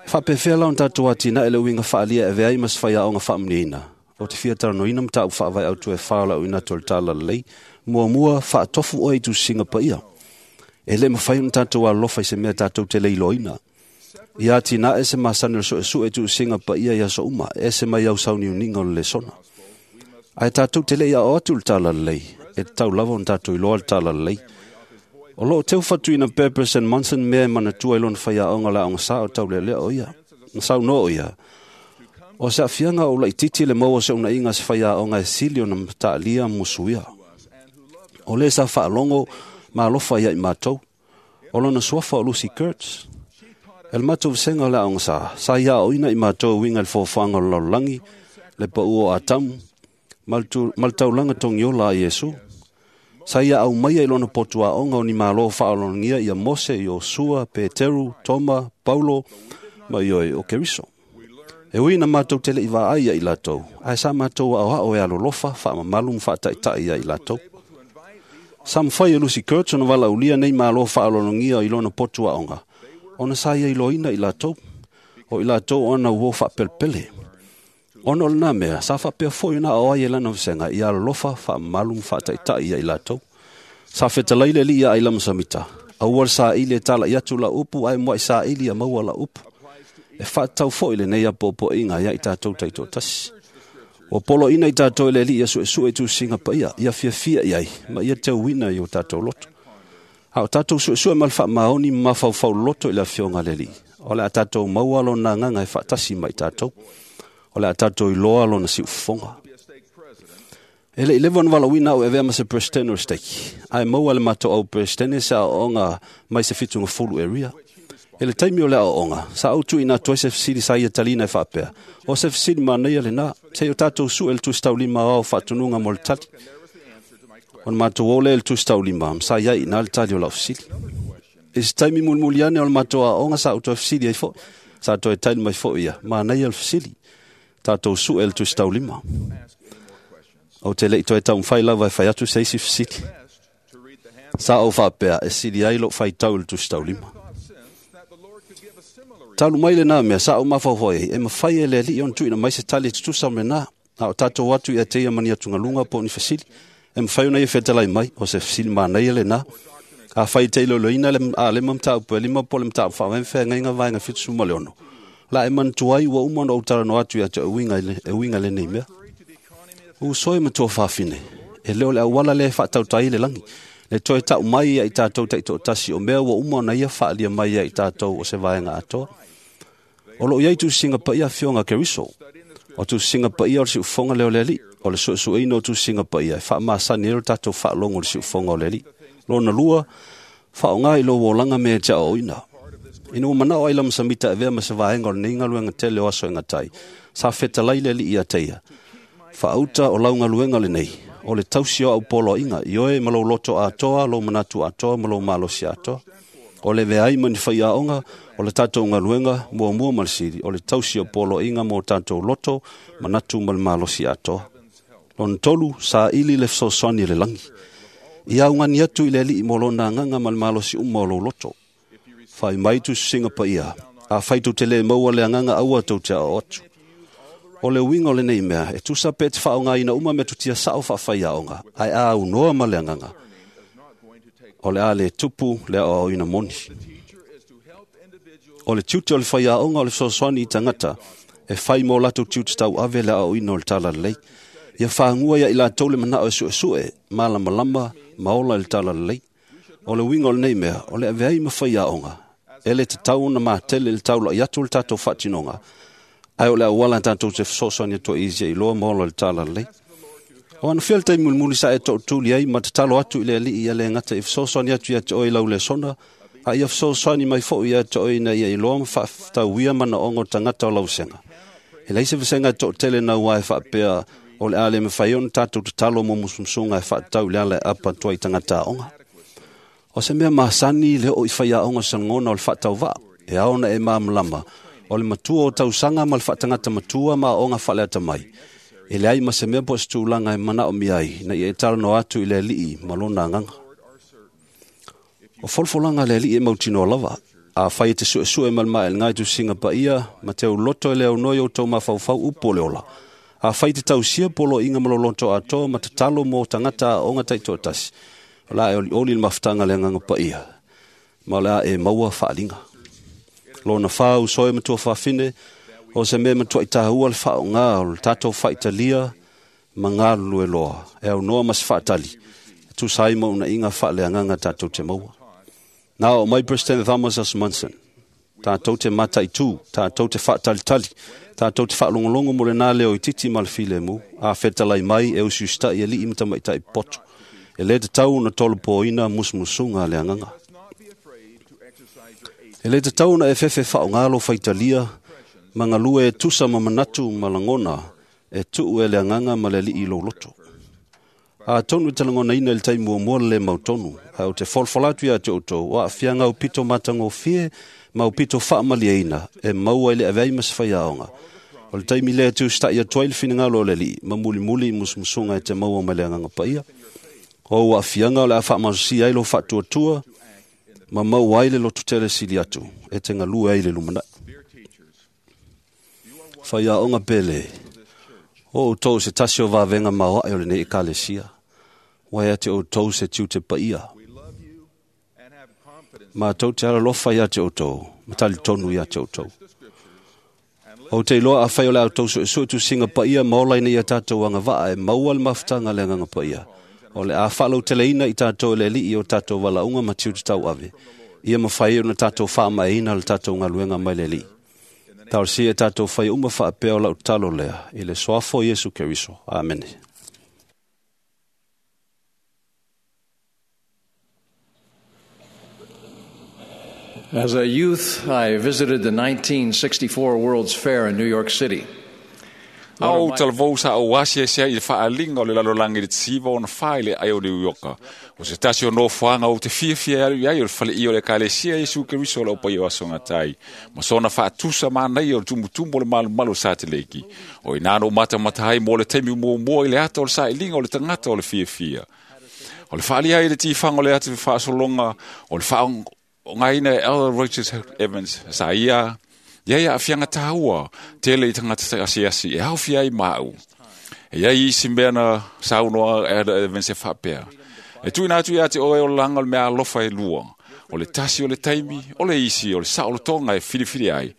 E faapefea la ona tatou atinae le uiga faalia e avea ai ma se faiaoga faamanuiaina? Ou te fia talanoaina mataupu faavae autu e fa o le aoina atu o le talalelei. Muamua, faatofu oe i tusiga paia. E le mafai ona tatou alolofa i se mea tatou te le iloaina. Ia atinae se masani o le suesue i tusiga paia i aso uma, e ese mai au sauniuniga o le lesona. Ae tatou te le i aoao atu i le talalelei, e tatau lava ona tatou iloa le talalelei. O loo teu fatuina pea President Monson mea e manatua i lona faiaoga o le aoga sa o taulealea o ia. Na saunoa o ia, o se aafiaga o ou laitiiti le maua o se unaiga a se faiaoga e sili ona mataalia ma musuia. O le sa faalogo ma alofa ia i matou. O lona suafa o Lucy Kurtz. E le matou vasega o le aoga sa, sa ia aoaoina i matou e uiga i le foafoaga o le lalolagi, le pau o Atamu, ma le taulaga togiola a Iesu. Sa ia aumaia i lona potu aoga o ni malo faaaloalogia ia Mose, Iosua, Peteru, Toma, Paulo ma ioe o Keriso. E ui ina matou te le i vaai ia i latou, ae sa matou aoao e alolofa, faamamalu ma faataitai ia i latou. Sa mafai e Lucy Kurtz ona valaaulia nei malo faaaloalogia i lona potu aoga, ona sa ia iloaina i latou, o i latou ona uo faapelepele. Ona o lena mea, sa faapea foi ona aoao ai e lana vasega ia alolofa, faamamalu ma faataitai ia i latou. Sa fetalai le alii ia Ailama Samita, aua le saili e tala'i atu lau upu ae muai saili ia maua lau upu. E faatatau foi lenei apoapoaiga ia i tatou taitoatasi. Ua poloaiina i tatou e le Alii ia suesue i tusiga paia, ia fiafia i ai, ma ia teuina i o tatou loto. A o tatou suesue ma le faamaoni ma mafaufau loto i le afioga a le Alii, o le a tatou maua lona agaga e faatasi ma i tatou. O le a tātou iloa lona siufofoga. E le i leva ona valaauina au e avea ma se Peresetene o le Stake, ae maua le matou au Peresetene se aoaoga mai se fitugafulu area. E le taimi o le aoaoga, sa ou tuuina atu ai se fesili sa ia taliina e faapea, o se fesili manaia lenā, seia o tatou su'e le Tusi Taulima aoao faatunuga mo le tali. Ona matou o lea i le Tusi Taulima, ma sa i ai i ina le tali o lau fesili. I se taimi mulimuli ane o le matou aoaoga sa ou toe fesili ai foi, sa toe tali mai foi ia, manaia le fesili, tatou su'e le Tusi Taulima. Ou te le i toe taumafai lava e fai atu se isi fesili. Sa ou faapea e sili ai lou faitau i le Tusi Taulima. Talu mai lenā mea, sa ou mafaufau ai, e mafai e le Alii ona tuuina mai se tali e tutusa ma lenā, a o tatou atu ia te ia ma ni atugaluga po o ni fesili. E mafai ona ia fetalai mai, o se fesili manaia lenā. Afai e te iloiloina le A lima mataupu e lima po o le mataupu faavae ma feagaiga vaega fitusefulu ma le ono, la e manatua ai ua uma ona ou talanoa atu ia te oe e uiga i lenei mea. Uso e matua fafine, e le o le auala lea e faatauta ai le lagi, le toe ta'u mai ia i tatou taitoatasi o mea ua uma ona ia faaalia mai ia i tatou o se vaega atoa. O loo i ai tusiga paia afioga a Keriso. O tusiga paia o le siufofoga lea o le Alii. O le suesueina o tusiga paia e faamasani ai lo tatou faalogo i le siufofoga o le Alii. Lona lua, faaaoga i lou olaga mea e te aoaoina. Ina ua manao ai Lama Samita e avea ma se vaega o lenei galuega tele o aso e gata ai, sa fetalai le Alii ia te ia, Faauta o lau galuega lenei, o le tausi o au poloaiga, ioe ma lou loto atoa, lou manatu atoa ma lou malosi atoa. O le avea ai ma ni faiaoga, o le tatou galuega, muamua ma le sili, o le tausi o poloaiga mo tatou loto, manatu ma le malosi atoa. Lona tolu, saili le fesoasoani a le lagi. Ia augani atu i le Alii mo lona agaga ma le malosi uma o lou loto. Fai mai tusisiga paia, afai tou te le maua le agaga aua tou te aoao atu. O le uiga o lenei mea, e tusa pe te faaaogaina uma metotia sa'o faafaiaoga, ae a aunoa ma le agaga, o le a le tupu le aoaoina moni. O le tiute o le faiaoga o le fesoasoani i tagata e fai mo latou tiute tauave le aoaoina o le talalelei. Ia fagua ia i latou le manao e suesue, malamalama ma ola i le talalelei. O le uiga o lenei mea, o le avea ai ma faiaoga, e le tatau ona matele i le taula'i atu o le tatou faatinoga, ae o le auala tatou te fesoasoani atu ai ia iloa ma ola i le talalelei. O anofia le taimi mulimuli sa e tootuli ai ma tatalo atu i le Alii ia le gata i fesoasoani atu ia te oe i lau lesona, a ia fesoasoani mai foi ia te oe ina ia iloa ma faaftauia manaoga o tagata o lau vasega. E leai se vasega e toatele naua e faapea o le a le mafai ona tatou tatalo mo musumusuga e faatatau i le ala e apa atu ai i tagata aoga. O se mea masani le oo i faiaoga o se lagona o le faatauvaa, e ao ona e malamalama o le matua o tausaga ma le faatagata matua ma aoga faaleata mai. E leai ma se mea po o se tulaga e manaomia ai ina ia e talanoa atu i le Alii ma lona agaga. O folafolaga a le Alii e mautinoa lava. Afai e te suesue ma le maelega i tusiga paia ma te uloto e le aunoa i outou mafaufau upu o le ola. Afai te tausia poloaiga ma lou loto atoa ma tatalo mo tagata aoga taitoatasi, o le a e olioli le mafutaga a le agaga paia, ma o le a e maua faaaliga. Lona fa, uso e matua fafine, o se mea matuai tāua le faaaoga o le tatou faitalia ma galulue loa, e aunoa ma se faatali, e tusa ai ma unaiga faaleagaga tatou te maua. Nā o mai President Thomas S. Monson, tatou te mataitū, tatou te faatalitali, tatou te faalogologo mo lenā leo itiiti ma le filemu, a fetalai mai e usiusita'i alii ma tamaitai poto. E le tatau ona tolopoina musumusuga a le agaga. E le tatau ona e fefe faaaoga lou faitalia ma galue e tusa ma manatu ma lagona e tuu e le agaga ma le Alii i lou loto. Atonu e te lagonaina i le taimi muamua le lē mautonu, ae ou te folafola atu ia te outou, o aafiaga aupito matagofie ma aupito faamalieina e maua i le avea ai ma se faiaoga. O le taimi lea e tusita'i atu ai le finagalo o le Alii ma mulimuli i musumusuga e te maua mai le agaga paia. O ou aafiaga o le a faamalosia ai lou faatuatua ma maua ai le lototele sili atu e te galue ai i le lumanai. Faiaoga pele, o outou se tasi o vavega maoaʻe o lenei Ekalesia, ua ia te outou se tiute paia. Matou te alalofa ia te outou, ma talitonu ia te outou. Ou te iloa afai o le a outou suesue tusiga paia ma ola ina ia tatou agavaa e maua le mafutaga a le agaga paia, o le a faalauteleina i tatou e le Alii o tatou valaauga ma tiute tauave, ia mafai ai ona tatou faamaeaina le tatou galuega mai le Alii. Talosia e tatou fai uma faapea o lau talo lea i le soafo o Iesu Keriso. Amene. As a youth, I visited the nineteen sixty-four World's Fair in New York City. Au talavou sa o asia sia i le faalinga o le lalolagi i le tisiva ona fā i le ai o New Yorka. O se tasi o nofoaga ou te fiafia alu i ai o le faleia o le ekalesia Iesu Keriso o le aupaia o aso gatai. Ma sona faatusa manaia o le tumutumu o le malumalu o Sateleki. O ina no matamata ai mo le taimi muamua i le ata o le sailiga o le tagata o le fiafia. O le faalia ai le tifaga o le ata faasologa o le faaogaina e Elder Richard Evans sa ia ia ia afianga tāua tele i tagata asiasi e haofia ai maau. E ia isi mea na saunoa Elder Evans e faapea. E tuina atu ia te oe o langa o le mea alofa e lua. O le tasi o le taimi, o le isi, o le saolotoga e filifili ai.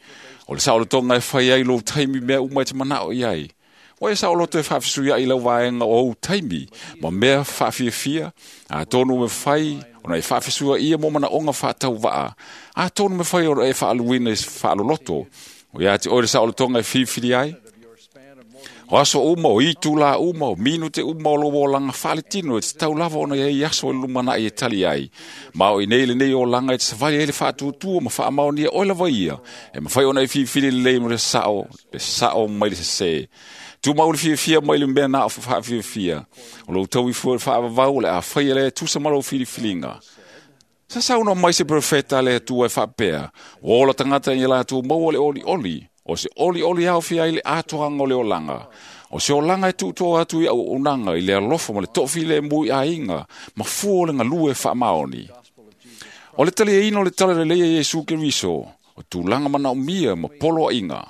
O le saolotoga e fai ai lou taimi mea uma e te manao i ai. O e saoloto e faafesuiai lau vaega o ou taimi, ma mea faafiafia, a tonu me fai, ona e faafesua ia mo manaoga faatauvaa, a tonu me fai ona e faaluina i faaloloto. O ia te oe le saolotoga e filifili ai. O aso uma, o itu la uma, o minute uma o lou olaga faaletino e tatau lava ona iai aso e lumanai e tali ai. Ma o inei lenei olaga e te savali ai le faatuatua ma faamaonia oe lava ia, e mafai ona e filifili lelei mo le sao, le sao mai le sesē. Tumau le fiafia mai le mea na o faafiafia. O lou tauifua le faavavau o le a faia lea e tusa ma lou filifiliga. Sa saunoa mai se profeta a le Atua e faapea, ua ola tagata i latou maua le olioli, o se olioli aofia ai le atoaga o le olaga. O se olaga e tuutoa atu i auaunaga i le alofa ma le toafilemu i aiga, ma fua o le galue faamaoni. O le taliaina o le talalelei a Iesu Keriso, o tulaga manaomia ma poloaiga.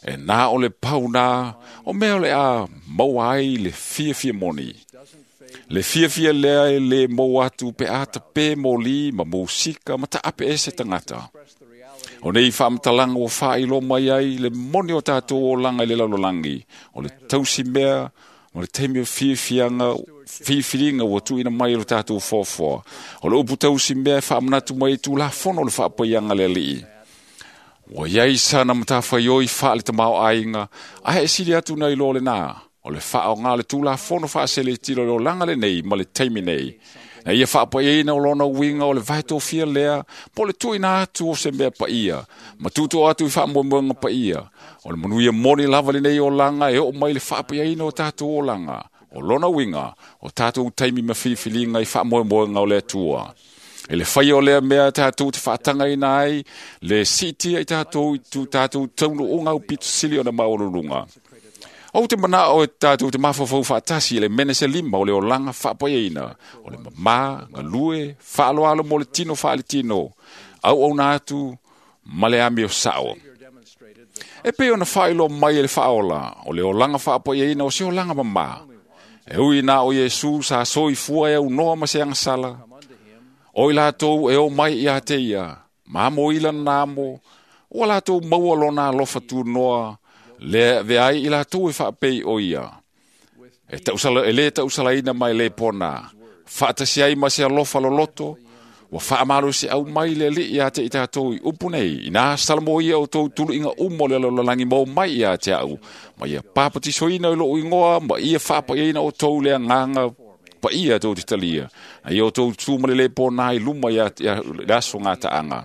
E nā o le pau nā, o mea o le a maua ai le fiafia moni. Le fiafia lea e le maua atu pe a tape moli ma musika ma taape ese tagata. O nei faamatalaga ua faailo mai ai le moni o tatou olaga i le lalolagi, o le tausi mea ma le taimi o fiafiaga, filifiliga ua tuuina mai e lo tatou foafoa. O le upu tausi mea e faamanatu mai i tulafono o le faapaiaga le alii. Ua iai sana matafaioi faale tamaoaiga, ae e sili atu nai lo lenā, o le faaoga le tulafono faaseletilo o le olaga lenei ma le taimi nei. Na ia faapaiaina o lona uiga o le vaetofia lea, po o le tuuina atu o se mea paia, ma tuutoa atu i faamoemoega paia. O le manuia moni lava lenei olaga e oo mai le faapaiaina o tatou olaga. O lona uiga, o tatou taimi ma filifiliga i faamoemoega o le Atua. E le faia o lea mea tatou te faatagaina ai le siitia i tatou i tu tatou taunuuga aupito sili ona maualuluga. Ou te manao e tatou te mafaufau faatasi i le mene se lima o le olaga faapaiaina, o le mamā, galue, faaloalo mo le tino faaletino, auauna atu ma le amio sao. E pei ona faailoa mai e le faaola, o le olaga faapaiaina o se olaga mamā. E ui na o Iesu sa soifua e aunoa ma se agasala, o i latou e o mai ia te ia, ma amo i lana amo, ua latou maua lona alofa tunoa, le avea ai i latou e faapei o ia. E, tausala, e le tausalaina mai le pona, faatasi ai ma se alofa loloto, ua faamalosi au mai le alii ia te i tatou i upu nei, ina salamo ia o tou tuluiga uma o le lalolagi mau mai ia te au, ma ia papatisoina i lou igoa, ma ia faapaiaina o tou le agaga paia tou te talia, na ia o tou tu ma le le pona i luma ia, ia le aso gataaga.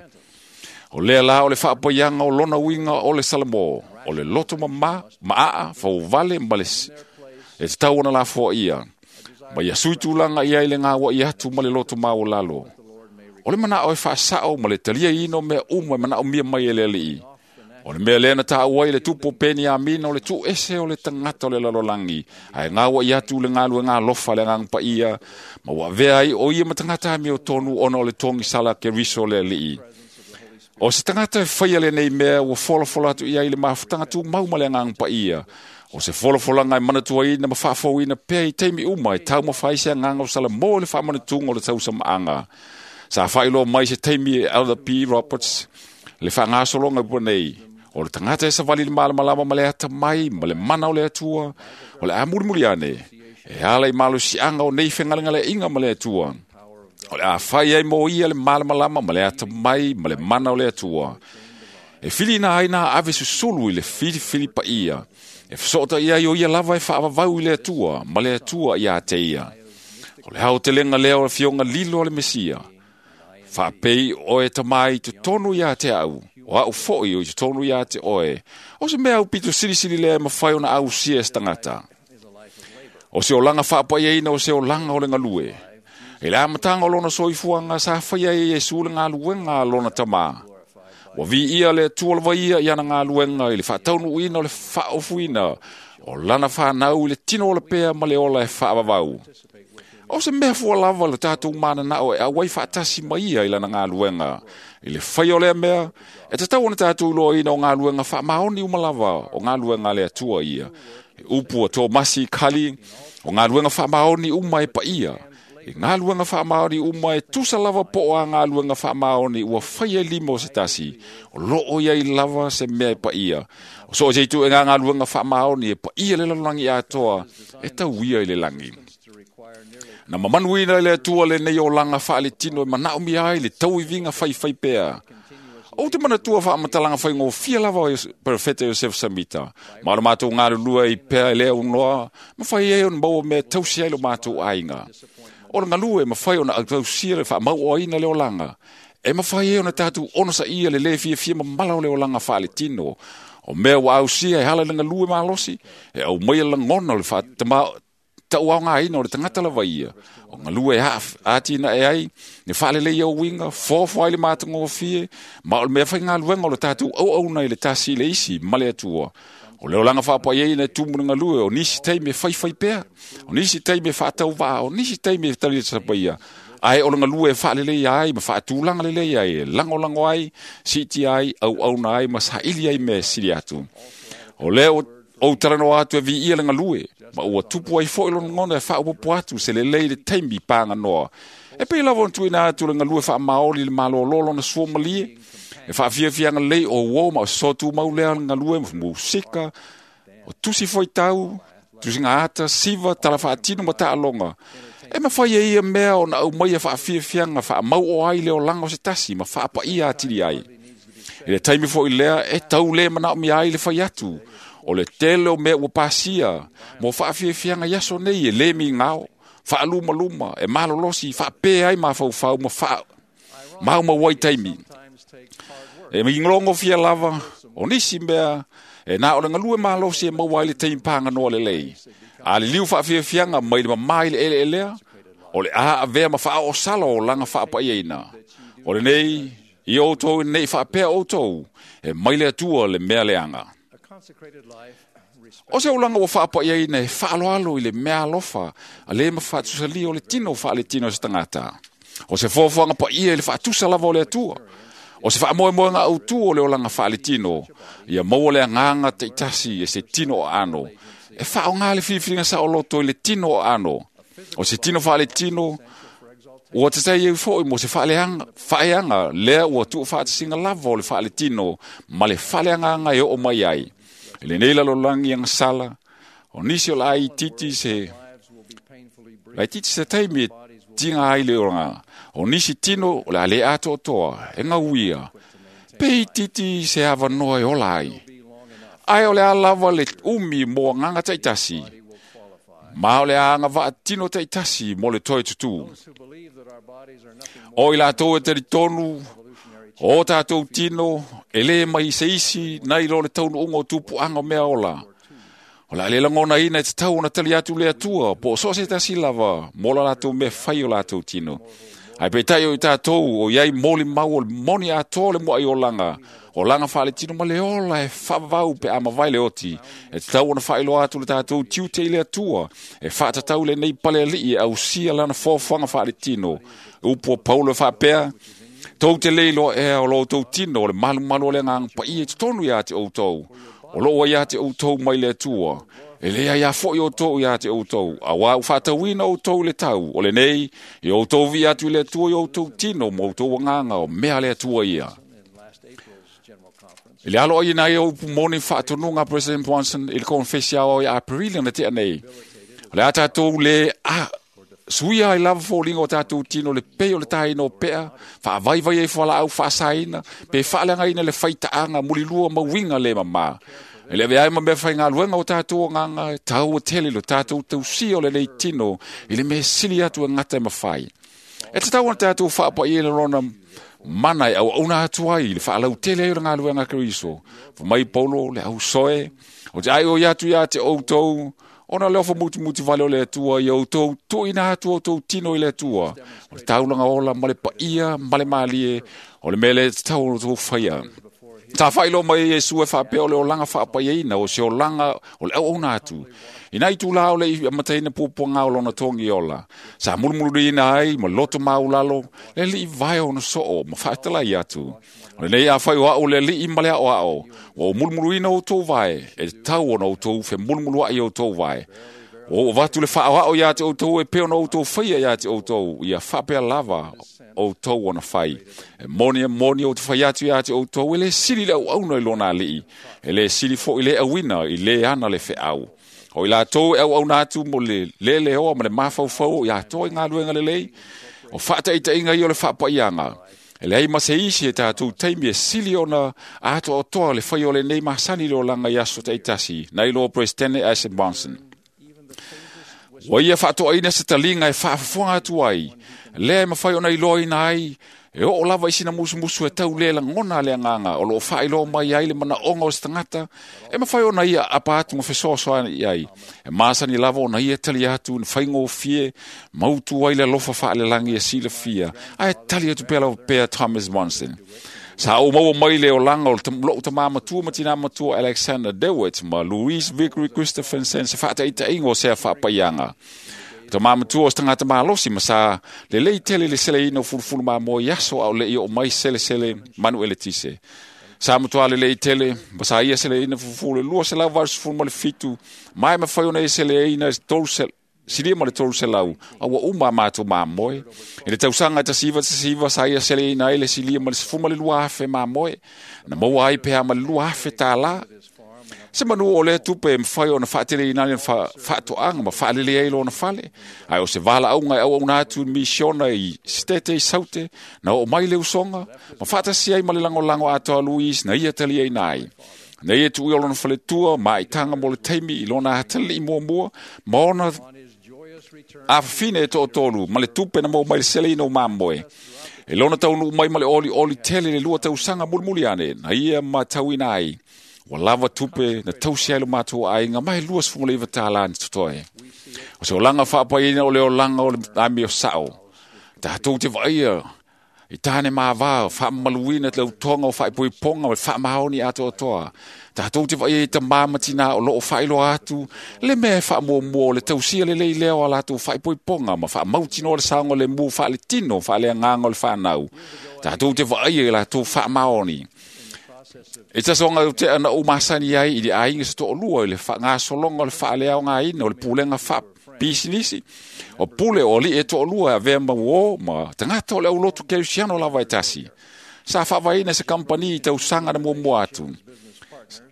O lea la o le faapaiaga o lona uiga o le Salamo, o le loto mamā, maa, fauvale ma le e tatau ona lafoa ia. Ma ia sui tulaga ia i le gauai atu ma le loto maualalo. O le manao e faasao ma le taliaina o mea uma e manaomia mai e le alii. O le mea lea na taua ai le tupu o Peniamina o le tuuese o le tagata o le lalolagi, ae gauai atu le galuega alofa le agaga paia, ma ua avea ai o ia ma tagata amiotonu ona o le togisala Keriso le alii. O se tagata e faia lenei mea ua folafola atu i ai le mafutaga tumau ma le agaga paia. O se folafolaga e manatuaina ma faafouina pea i taimi uma e taumafai se agaga o Salamo i le faamanatuga o le tausamaaga. Sa faailoa mai se taimi e Elder P. Roberts le faagasologa ua nei. O le tagata e savali le malamalama ma le atamai ma le mana o le Atua, o le a mulimuli ane, e ala i malosiaga o nei fegalegaleaiga ma le Atua. O le a fai ai mo ia le malamalama ma le atamai ma le mana o le Atua. E filina ai nā ave susulu i le filifili paia. E fesoota ia i o ia lava e whaavavau i le atua, ma le atua ia te ia. O le hao te lenga lea o le fionga lilo o le Mesia. Whaapei oe tamai te tonu ia te au, o au foi o i te tonu ia te oe. O se mea au pito silisili lea e mawhai ona au sia e tangata. O se olanga whaapaia o se olanga o le ngalue. E le amatanga o lona soifuanga sa whaia e Iesu le ngaluenga lona tamā. Ua vi ia le atua lava ia i ana ngaluenga i le whaataunuina o le whaofuina o lana whanau i le tino o le pea ma le ola e whaavavau. O se mea fua lava le tātou mananao e awai whaatasi mai ia i lana ngaluenga. I le whai o lea mea, e tatau ona tātou loa ina o ngaluenga whaamaoni umalava o ngaluenga le atua ia. E upu a tō masi kali o ngaluenga whaamaoni uma e paia. I ngaluenga whaamaoni uma e tusa lava po a ngaluenga whaamaoni ua whai e lima o se tasi. O loo ia i lava se mea e paia. O so o se itu e ngā ngaluenga whaamaoni e paia le lalangi atoa e tau ia i le langi. Na mamanuina i le atua le nei o langa whaale tino e manao mi ai le tauivinga whai whai pea. O te manatua wha amatalanga whai ngō fia lava o Perfeta Yosef Samita. Maalo mātou ngā lulua i pea i lea unoa, ma whai e on maua mea tausi ai lo mātou ainga. O le ngalue ma whai ona tausia le wha mau oina le olanga. E ma whai e ona tātou ono sa ia le le fia fia mamala o le olanga whaale tino. O mea wa ausia e hala le ngalue malosi, e au mai langona o le wha tama tau au ngā ina o le tangata lava ia. O ngalue ātina e ai, ne whaalele ia o winga, fōfo ai le mātongo o fie, ma o le mea whai ngā luenga o le tātou au au nei le tasi le isi, ma le atua. O leo langa whaapai ei nei tumu ngalue, o nisi teime whai whai pea, o nisi teime whaatau vaa, o nisi teime tali sapaia. Ai o le ngalue whaalele ia ai, ma whaatulanga lele ia ai, lango lango ai, siti ai, au au na ai, ma saili ai me sili atu. O leo o taranoa atu e vi ia le ngalue, ma ua tupu ai foi lona ngona e whaaupopo atu se lelei le taimi pānga noa. E pei lava on tuina atu le ngalue wha maoli le malolo na sua malie, e whaafiafianga lei o uo ma o sotu maulea le ngalue musika, o tusi foi tau, tusi ngā ata, siva, tala whaatino ma taalonga. E mawhai e ia mea o na au mai e whaafiafianga wha mau o ai le o langa o se tasi ma whaapa ia atili ai. E le taimi foi lea e tau le mana o mi ai le whai atu. O le tele o mea ua pasia, mo whaafiafianga iaso nei e le mi ngao, whaaluma luma, e malolosi, whaapea ai mawhauwhau, ma wha mau mawai taimi. E minglongo fia lava, o nisi mea, e nā o le ngalue malosi e mawai le taimi pānga noa le lei. A le liu whaafiafianga mai le mamai le ele elea, o le a avea ma whaa o sala o langa whaapaia ina. O le nei, i outou nei whaapea outou, e mai le atua le mea leanga. O se ulanga ua whaapaia ina e whaaloalo i le mea alofa, a le ma whaatusali o le tino whaale tino se tangata. O se fōfuanga paia i le whaatusa lava o le atua. O se whaamoemoenga au tu o le olanga whaale tino, ia maua le anganga teitasi e se tino o ano. E whaonga le whiwhiringa sa o loto i le tino o ano. O se tino whaale tino, ua te tai e foi mo se whaaleanga, whaeanga, lea ua tuu whaatisinga lava o le whaale tino, ma le whaleanganga e o mai ai. E le nei lalolangi ang sala, o nisi o la ai titi se, lai titi se taimi e tinga ai le oranga, o nisi tino o le ale ato toa, e ngauia, pei titi se avanoa e ola ai. Ai o le alava le umi mo nganga taitasi, ma o le anga waa tino taitasi mo le toi tutu. O i lātou e te ritonu, o tātou tino, e le mai se isi, nei lo le taunu ungo tupu anga mea ola. O la le langona ina e te tau ona tali atu le atua, po so se tasi lava, mo la lātou mea whai o lātou tino. Ai pe tai o i tātou, o iai moli mau o le moni atoa le mua i o langa. O langa whaale tino ma le ola e whavau pe ama vai le oti. E te tau ona whaeloa atu le tātou tiute i le atua. E whaatatau le nei pale alii e ausia lana fōwhanga whaale tino. Upu o Paulo e whaapea, tau te leilo ea o lo tau tino o le malu malu o le ngang pa ia te tonu ia te outou. O loo ia te outou mai le atua. E lea ia foi o tou ia te outou. A wā uwhatawina o tou le tau. O le nei, i outou vi atu le atua i outou tino mo outou anganga o mea le atua ia. I le alo ai nai au pumoni whaatonunga President Monson i le konfesi ao i Aprili na tea nei. O le a tātou le a Suia ai lava foliga o tatou tino le pei o le taina o pea, faavaivai ai fualaau faasaina, pe faaleagaina le faitaaga mulilua ma uiga le mamā. E le avea ai ma mea faigaluega o tatou agaga e taua tele lo tatou tausia o lenei tino i le mea sili atu e gata e mafai. E tatau ona tatou faapaia i le lona mana e auauna atu ai i le faalautele ai o le galuega a Keriso. Fai mai Paulo le ausoe, o te ai o atu ia te outou, ona le ofo mutimuti vale o le Atua ia outou tuuina atu outou tino i le Atua. O le taulaga ola ma le paia ma le malie, o le mea lea e tatau ona outou faia. Sa faailoa mai e Iesu e faapea o le olaga faapaiaina, o se olaga o le auauna atu. Ina itulā o le i amataina puapuaga o lona togi ola, sa mulumululiina ai ma loto maulalo le alii vae ona soo ma faatalai atu. O lenei afai o au le alii ma le aoao, ua ou mulumuluina outou vae, e tatau ona outou femulumuluai i outou vae. Ua ou avatu le faaoao ia te outou e pei ona outou faia ia te outou, ia faapea lava outou ona fai. E moni e moni ou te fai atu ia te outou, e le sili le auauna i lona alii, e le sili foi le auina i le ana le feau. O i latou e auauna atu mo le leleoa ma le mafaufau o i atoa i galuega lelei, o faataitaiga ia o le faapaiaga. E leai ma se isi e tatou taimi e sili ona atoatoa le fai o lenei masani i le olaga i aso taitasi, nai lo Presidente Isaac Monson. Ua ia faatoaina se taliga e faafofoga atu ai, lea e mafai ona iloaina ai, e oo lava i sina musumusu e tau le lagona le agaga o loo faailoa mai ai le manaoga o se tagata, e mafai ona ia apa atu ma fesoasoani i ai. E masani lava ona ia tali atu na faigofie, mautu ai le alofa faalelagi e silafia, ae tali atu pea lava pea Thomas Monson. Sa ou maua mai le olaga o lou tamā matua ma tinā matua Alexander Dewitt ma Louise Vickery Christopherson se faataitaiga o sea faapaiaga. Tamā matua o se tagata malosi ma sa lelei tele le seleina o fulufulu mamoe i aso a o le'i oo mai selesele manu eletise. Sa matua lelei tele ma sa ia seleina fulufulu le lua selau valusefulu ma le fitu, ma e mafai ona ia seleina tolu silia ma le tolu selau, a ua uma a mātou mamoe. E le tausaga e tasi iva tasi iva sa ia seleina ai le silia ma le sefulu ma le lua afe mamoe, na maua ai pea ma le lua afe tālā. Se manu o lea tupe e mafai ona faateleina ai le faatoaga ma faalelei ai lona fale, ae o se valaauga e auauna atu i misiona i Sitete i Saute, na oo mai le usoga, ma faatasi ai ma le lagolago atoa Louise na ia taliaina ai. Na ia tuui o lona faletua ma aitaga mo le taimi i lona atalii muamua, ma ona afafine e toatolu ma le tupe na maua mai le seleina o mamoe. E lona taunuu mai ma le olioli tele le lua tausaga mulimuli ane, na ia matauina ai. Ua lava tupe na tausi ai lo mātou aiga mai lua sefulu ma le iva tālā na totoe. O se olaga faapaiaina o le olaga o le amio sao. Tatou te vaaia i tāne māvā, faamamaluina te lautoga o faaipoipoga ma le faamaoni atoatoa. Tatou te vaaia i tamā ma tinā o loo faailoa atu, le mea e faamuamua o le tausia lelei lea o a latou faaipoipoga ma faamautinoa le saoga le mu faaletino faaleagaga o le whanau. Tatou te vaaia i latou faamaoni. E tasoga o te ana o masani ai i le aiga se to'olua i le faagasologa o le faaleaogaina o le pulega faapisinisi. O pule o alii e to'olua e avea ma uō ma tagata o le aulotu kerisiano lava e tasi. Sa faavaeina se kampani i tausaga na muamua atu.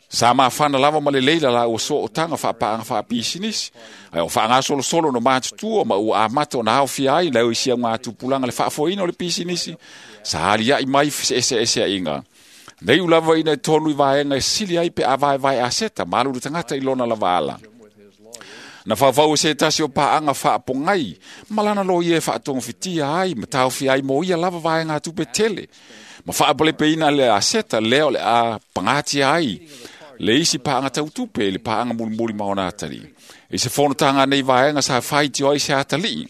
Sa mafana lava ma le leila la ua sootaga faapaaga faapisinisi, ae o faagasolosolo no matutua ma ua amata ona aofia ai lau isi augatupulaga le faafoeina o le pisinisi, sa alia'i mai feseeseesea'iga. Nei u lava ina e tonu i vaega e sili ai pe a vaevae aseta ma alu le tagata i lona lava ala. Na faufau e se tasi o paaga faapogai, ma lana loia e faatogofitia ai ma taofia ai mo ia lava vaega tupe tele. Ma faapalepeina le aseta lea o le a pagatia ai le isi paaga tautupe i le paaga mulimuli ma ona atalii. I se fonotaga nei vaega sa faitio ai se atalii.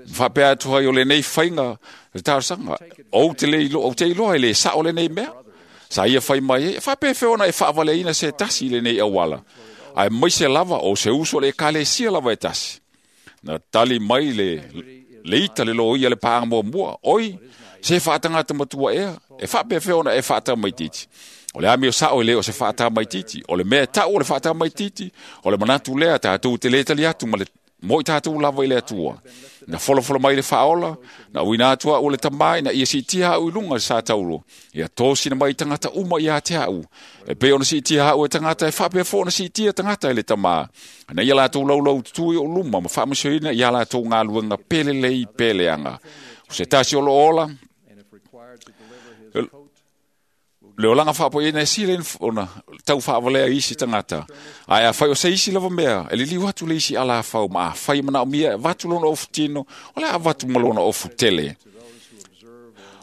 Faapea atu ai o lenei faiga le talosaga, ou te le iloa, ou te iloa e le sao lenei mea. Sa ia fai mai ai, e faapefea ona e faavaleina se tasi i lenei auala. Ae maise lava o se uso le ekalesia lava e tasi. Na tali mai le, le ita le loia le paaga muamua, oi, se faatagata matua ea, e faapefea ona e faatamaititi. O le amio sao e le o se faatamaititi, o le mea e tau o le faatamaititi, o le manatu lea tatou te le tali atu ma le mo i tātou lava i le atua. Na folofolo mai le whaola, na uina atua o le tamai, na ia siitia au i lunga sa tauro. Ia tōsina mai tangata uma i a te au. E pe ona siitia au e tangata, e whapea fo ona siitia tangata e le tamā. Na ia lātou laulau tutui o luma, ma whaamasioina ia lātou ngā luenga pele lei pele anga. O se tasi o lo ola, le olanga whaapo ina e sile ona tau whaavalea isi tangata. Ai a whai o se isi lava mea, e liliu atu le isi ala whau, ma a whai mana o mia, vatu lona ofu tino, o le a vatu malona ofu tele.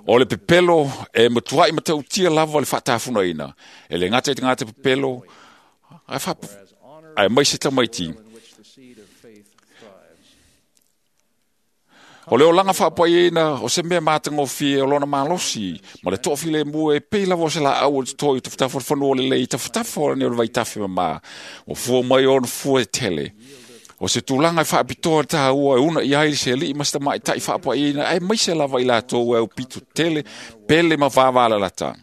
O le pepelo e matuai matautia lava le whaatafuna ina. E le ngata i te ngata pepelo, ai wha, ai mai se tamaiti. O le olanga whaapai ina, o se mea mātangofie o lona malosi, ma le toafile mua e pei lava o se la au o te toi, tafatafa o le whanua le lei, tafatafa o le vaitafe ma, o fua mai ona fua e tele. O se tūlanga e whaapitoa tā ua e una i ai se li ma se mai tai whaapai ina, e mai se lava i lātou e au pitu tele, pele ma wāwāla lata.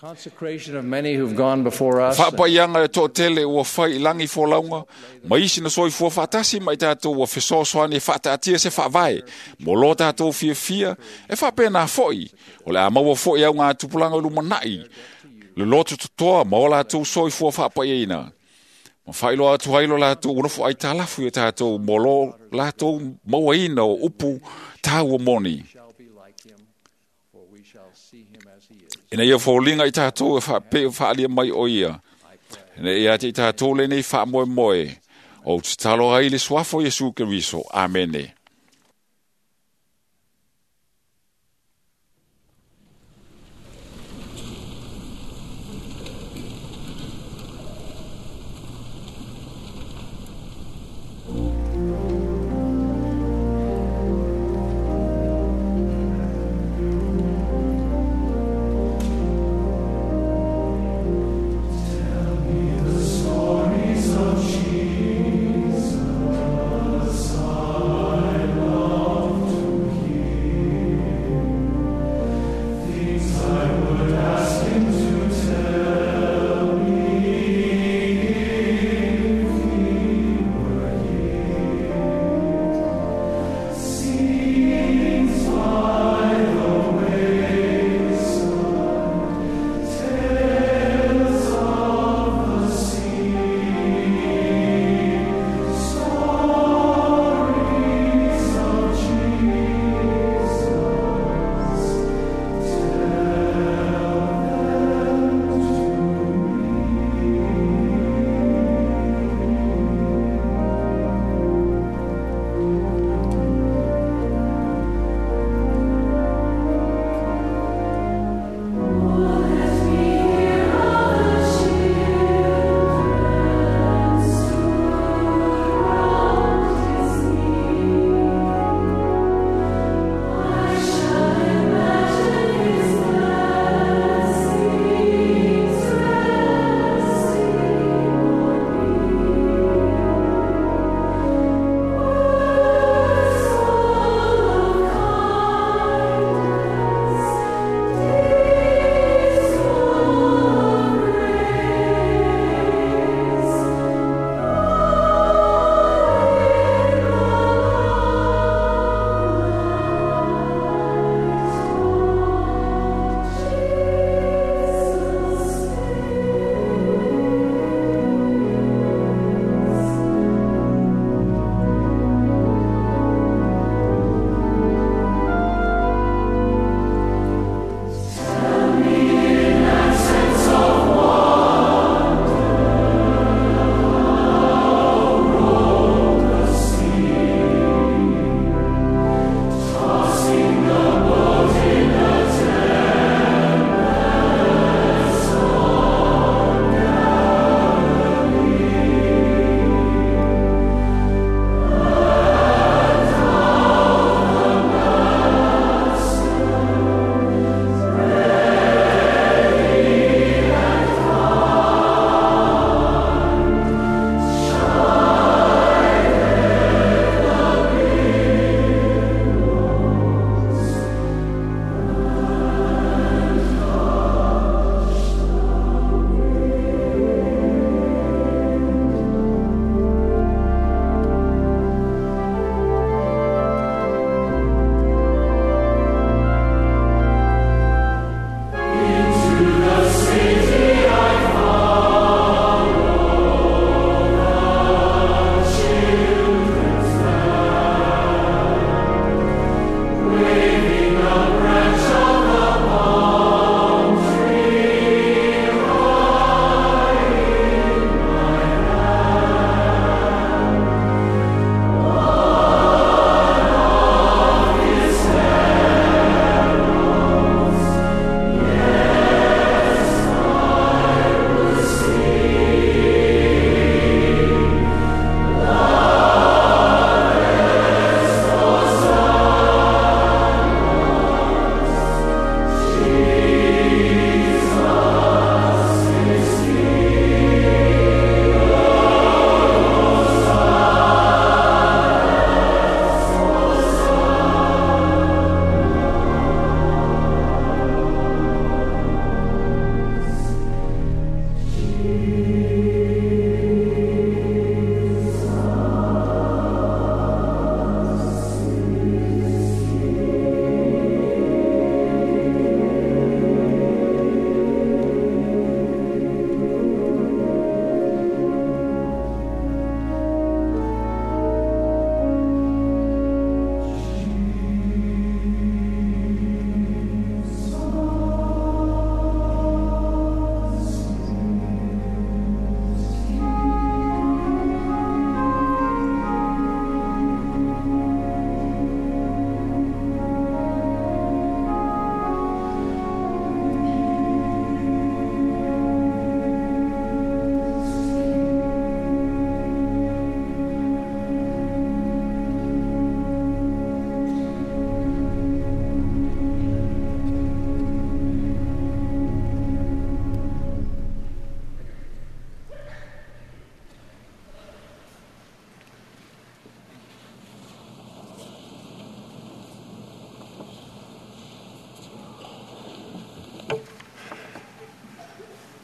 Consecration of many who've gone before us. Whaapaianga e tō tele ua whai i langi fōlaunga, ma isi na soi fua whaatasi mai tātou ua fesoasoani e whaataatia se whaavae, mo lo tātou fia fia, e whaapena foi, o le a maua foi au ngā tupulanga lumanai, le loto totoa ma o lātou soi fua whaapaiaina. Ma whailoa atu hailo lātou unofu ai tālafu i tātou mo lo lātou mauaina o upu tāua moni. Ina ia fōlinga i tātou e whaape whaalia mai o ia. Ina ia te i tātou le nei whaamoe moe. O te talo ai le suafo Yesu Keriso. Amene. Stories of Jesus, I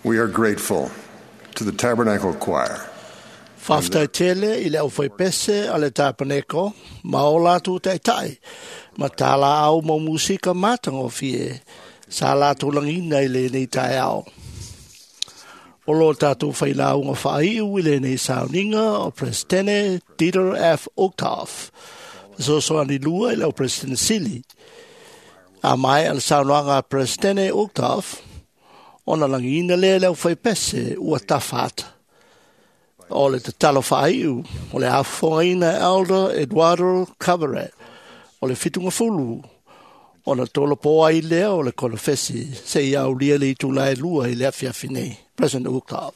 We are grateful to the Tabernacle Choir. Faafetai tele i le aufaipese a le tapaneko ma o latou taitai ma tā laau ma musika matagofie sa latou lagiina i lenei taeao. O lo tatou failauga faaiu i lenei sauniga o Presidente Dieter F. Uchtdorf, fesoasoani lua i le au Presidente Sili. A maea le saunoaga a Presidente Uchtdorf, ona lagiina lea i le aufaipese ua tafa ata. O le tatalo faaiu o le afofogaina e Elder Eduardo Caveret o le fitugafulu ona tolopo ai lea o le konofesi seia aulia le itula e lua i le afiafi nei. President Uchtdorf.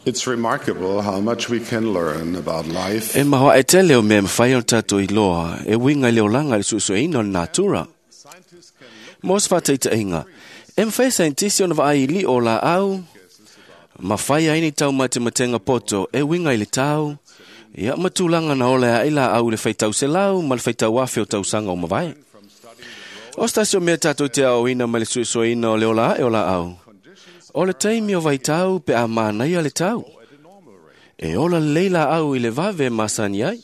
It's remarkable how much we can learn about life E mahoa e tele o mea mawhai o tātou i loa, e winga i le olanga i le suesueina o le natura. Mo se whātaitainga, e mwhai saintisi ona vaai li o la au, ma whai ai ni tau matematenga poto e winga i le tau, ia matulanga na ole ai la au le whaitau se lau ma le whaitau afe o tausanga o mavae. O stasio mea tātou te ao ina ma le suesueina o le ola e o la au. O le taimi o vaitau pe a mānaia le tau. E ola lelei la au i le vave masani ai.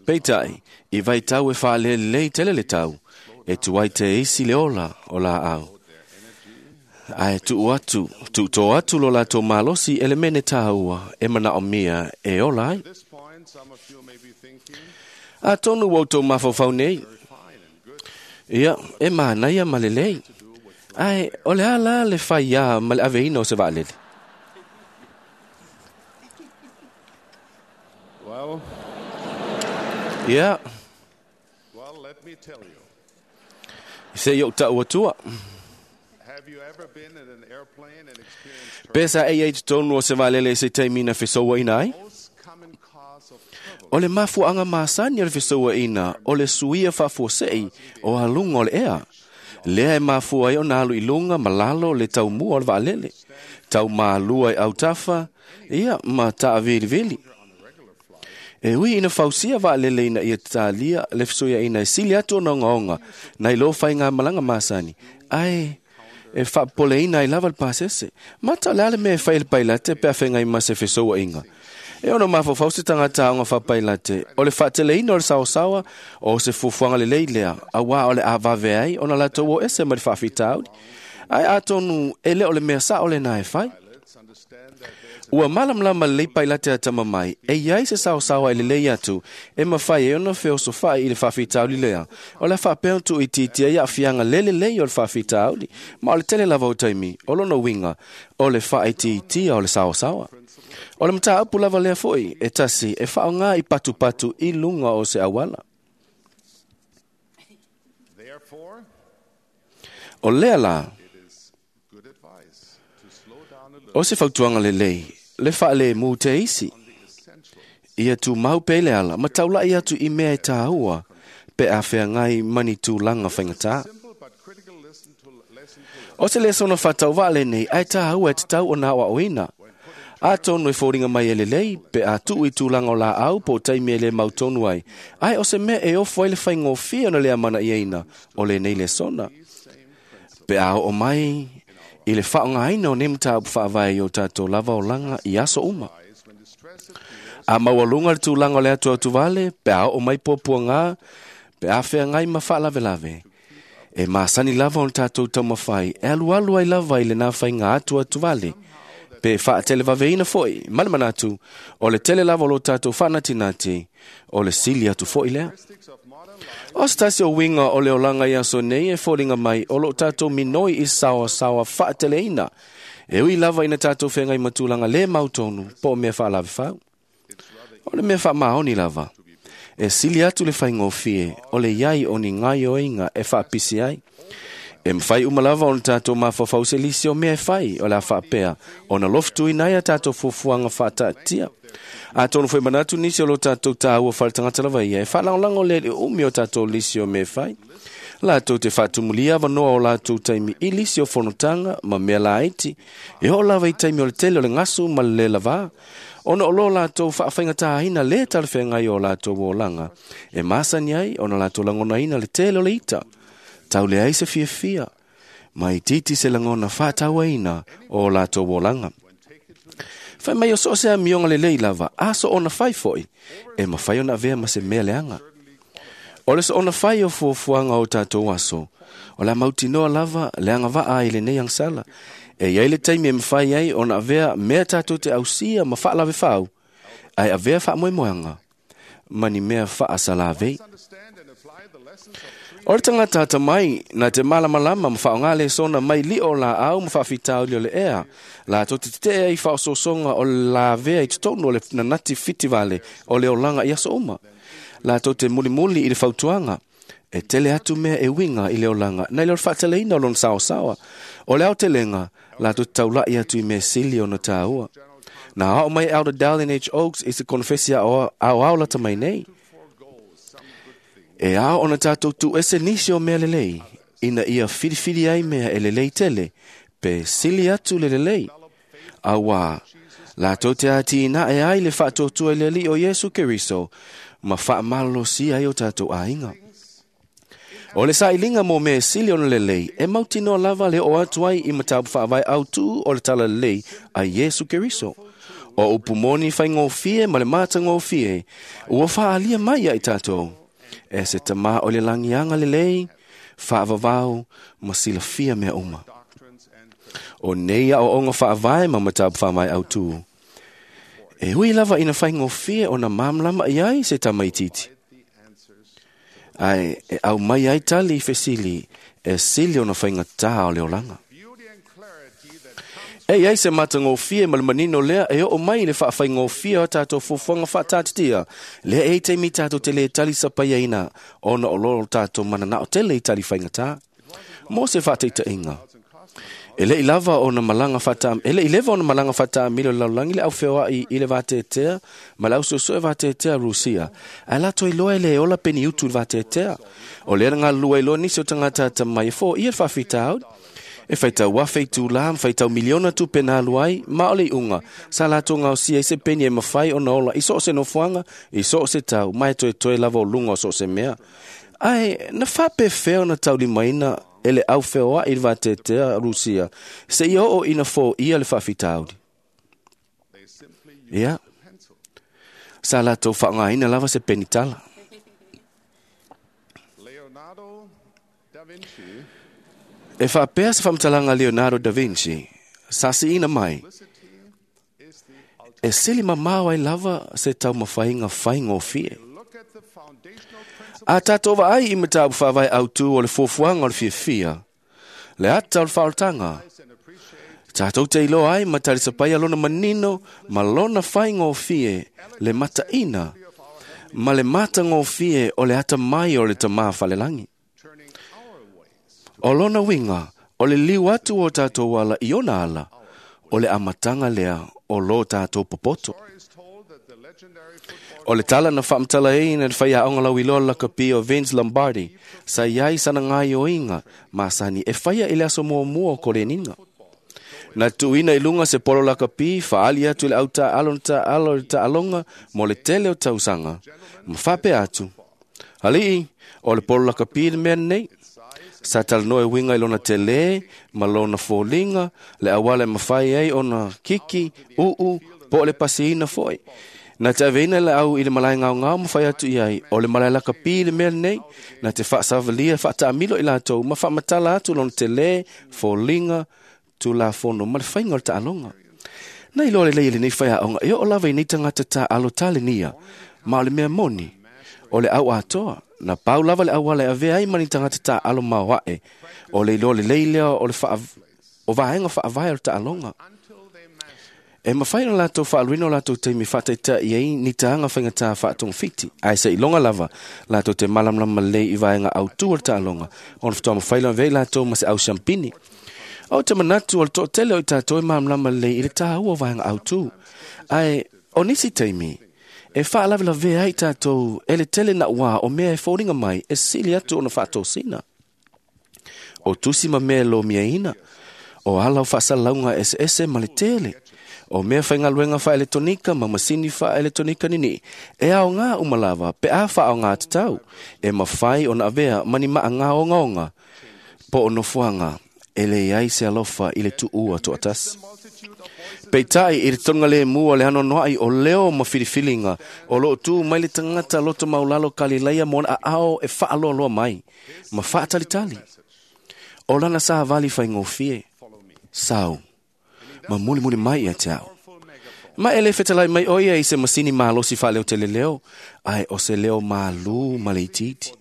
Peitai, i vaitau e whaalelei tele le tau, e tuai te isi le ola o la au. Ae tuu atu, tuu tō atu lo latou malosi e le mene tāua e manao mia e ola ai. A tonu wau tō mafaufau nei. Ia, e mānaia ma lelei. Ae, o le ala le whai ia ma le aveina o se vaalele. Well, Ia, well, let me tell you. se i o tau atua. Have you ever been in an airplane and experienced Pesa e i tonu o se vaalele se taimi na fesoua ina ai? O le mafuaanga masani o le fesoua ina, o le suia faafuasei o aluga o le ea. Lea e mafua ai ona alu i luga ma lalo le taumua o le vaalele. Tau malua i autafa, ia ma taavilivili. E ui ina fausia vaalele ina ia talia le fesuiaiga e sili atu ona ogaoga nai lo faigamalaga masani, ae e faapopoleina ai lava le pasese. Mata o le a le mea e fai e le pailate pe a feagai ma se fesouaiga. E ono mafaufau se tagata aoga faapailate, o le faateleina o le saosaoa o se fuafuaga lelei lea, auā o le a vave ai ona latou o ese ma le faafitauli. Ae atonu e le o le mea sao lena e fai. Ua malamalama lelei pailate a tama mai, e iai se saosaoa e lelei atu, e mawhai e ona feosofai i le faafitauli lea. O le faapea ona tuuitiitia ai aafiaga le lelei o le faafitauli, ma o le tele lava o taimi, o lona uiga, o le faaitiitia o le saosaoa. O le mataupu lava lea foi, e tasi, e faaaoga i patupatu i luga o se auala. Therefore, O lea la, good advice to slow down a little o se fautuaga lelei, le faalemu te isi. Ia tumau pea i le ala, ma taulai atu i mea e tāua, pe a feagai ma ni tulaga faigata. O se lesona faatauvaa lenei, ae tāua e tatau ona aoaoina. Atonu e foliga mai e lelei, pe a tuu i tulaga o laau po o taimi e lē mautonu ai. Ae o se mea e ofo ai le faigofie ona le amanaiaina o lenei lesona. Pe a oo mai i le faaaogaina o nei mataupu faavae i o tatou lava olaga i aso uma. A maualuga le tulaga o le atu atuvale, pe a oo mai puapuagā, pe a feagai ma faalavelave. E masani lava ona tatou taumafai, e alualu ai lava i lenā faiga atu atuvale. Pe faatelevaveiina foi, ma le manatu, o le tele lava o lo tatou faanatinati, o le sili atu foi lea. O se tasi o uiga o le olaga i aso nei e foliga mai o loo tatou minoi i saoasaoa faateleina. E ui lava ina tatou feagai ma tulaga lē mautonu po o mea faalavefau. O le mea faamaoni lava. E sili atu le faigofie o le iai o ni gaioiga e faapisi ai. E mawhai uma lava ona tatou mafaufau se lisi o mea e fai o le a faapea ona lofutuina ai a tatou fuafuaga faataatia. Atonu foi manatu nisi o lo tatou tāua faletagata lava ia e faalagolago lea i le umi o tatou lisi o mea e fai. Latou te faatumulia avanoa o latou taimi i lisi o fonotaga ma mea laiti, e oo lava i taimi o le tele o le gasu ma le lē lavā, ona o lo latou faafaigatāina lē talafeagai o latou olaga, e masani ai ona latou lagonaina le tele o le ita, tau leai se fiafia, ma itiiti se lagona faatauaina o latou olaga. Fai mai o so o se amioga lelei lava, a soona fai foʻi, e mafai ona avea ma se mea leaga. O le soona fai o fuafuaga o tatou aso, o le a mautinoa lava le agavaa ai lenei agasala. E iai le taimi e mafai ai ona avea mea tatou te ausia ma faalavefau, ae avea faamoemoega ma ni mea faasalavei. O le tagata atamai na te malamalama ma faaaogā lesona mai lio o laau ma faafitauli o le ea, latou te tetee ai i faaosoosoga o le lavea i totonu o le nanati fitivale o le olaga i aso uma. Latou te mulimuli i le fautuaga, e tele atu mea e uiga i le olaga nai lo le faateleina o lona saosaoa. O le aotelega, latou te taulai atu i mea sili ona tāua. Na ao mai Elder Dallin H. Oaks i se konofesi aoao lata mai nei. E ao ona tatou tuuese nisi o mea lelei, ina ia filifili ai mea e lelei tele, pe sili atu le lelei. Auā, latou te atinae ai le faatuatua i le Alii o Iesu Keriso, ma faamalolosia ai o tatou aiga. O le sailiga mo mea e sili ona lelei, e mautinoa lava le oo atu ai i mataupu faavae autū o le talalelei a Iesu Keriso. O upu moni faigofie ma le matagofie, ua faaalia mai ia i tatou. E se tamā o le lagiaga lelei, faavavau ma silafia mea uma. O nei aoaoga faavae ma mataupu faavae autū. E ui lava ina faigofie ona malamalama i ai se tamaitiiti. Ae e aumai ai tali i fesili e sili ona faigatā o le olaga. E iai se matagofie ma le manino lea e oo mai i le faafaigofie o tatou fuafuaga faataatitia, lea e i taimi tatou te lē tali sapaiaina ona o lo tatou mananao tele i tali faigatā. Mo se faataitaiga, e leʻi lava ona malaga faata e leʻi leva ona malaga faataamilo i le lalolagi le aufeoaʻi i le vateatea ma le ausuesue vateatea Rusia, ae latou iloa e lē ola peniutu i le vateatea. O lea na galulue ai loa nisi o tagata atamai e foia le faafitauli. E faitau afe i tulā ma faitau miliona tupe na alu ai, ma o le iuga, sa latou gaosia ai se peni e mafai ona ola i so o se nofoaga, i so o se tau, ma e toetoe lava o luga o so o se mea. Ae na faapefea ona taulimaina e le aufeoaʻi i le vateatea Rusia, seia oo ina foia le faafitauli. Ia, sa latou faaaogaina lava se penitala. E faapea se faamatalaga a Leonardo da Vinci, sa siina mai, e sili mamao ai lava se taumafaiga faigofie. A tatou vaai i mataupu faavae autū o le fuafuaga o le fiafia, le ata o le faaolataga, tatou te iloa ai ma talisapaia lona manino ma lona faigofie le mataina ma le matagofie o le atamai o le Tamā falelagi. O lona uiga, o le liu atu o tatou ala i ona ala, o le amataga lea o lo tatou popoto. O le tala na faamatalaina le faiaoga lauiloa lakapi o Vince Lombardi, sa iai sana gaioiga masani e faia i le aso muamua o koleniga. Na tuuina i luga se polo lakapi faali atu i le au taaalo na taaalo i le taaloga mo le tele o tausaga, ma faapea atu, Alii, o le polo lakapi le mea lenei. Sa talanoa e uiga i lona telē ma lona foliga, le auala e mafai ai ona kiki, uu, po o le pasiina foʻi. Na te aveina le au i le malae gaogao ma fai atu i ai, o le malae lakapi le mea lenei, na te faasavalia faataamilo i latou ma faamatala atu lona telē, foliga, tulafono ma le faiga o le taaloga. Na iloa lelei e lenei faiaoga e oo lava i nei tagata taaalo talenia, ma o le mea moni, o le au atoa, na pau lava le auala e avea ai ma ni tagata taaalo maoaʻe, o le iloa lelei lea o le faa, o vaega faavae o le taaloga. E mafai ona latou faaluina o latou taimi faataitai ai ni taga faigatā faatogafiti, ae seiloga lava latou te malamalama lelei i vaega autū o le taaloga, ona faatoa mafai lona avea i latou ma se au siampini. O te manatu o le toatele o i tatou e malamalama lelei i le tāua o vaega autū, ae o nisi taimi, e faalavelavea ai tatou e le tele nauā o mea e foliga mai e sili atu ona faatosina. O tusi ma mea lomiaina. O ala o faasalalauga eseese ma le tele. O mea faigaluega faaeletonika ma masini faaeletonika nini'i e aogā uma lava pe a faaogā tatau e mafai ona avea ma ni maaga ogaoga po o nofoaga e leai se alofa i le tuua toatasi. Peitai i le toga lemu o le anoanoai o leo ma filifiliga o loo tu mai le tagata loto maulalo Kalilaia mo ona aao e faaloaloa mai ma faatalitali. O lana savali faigofie, sau, ma mulimuli mai ia te au. Ma e le fetalai mai o ia i se masini malosi faaleoteleleo, ae o se leo malū ma le itiiti.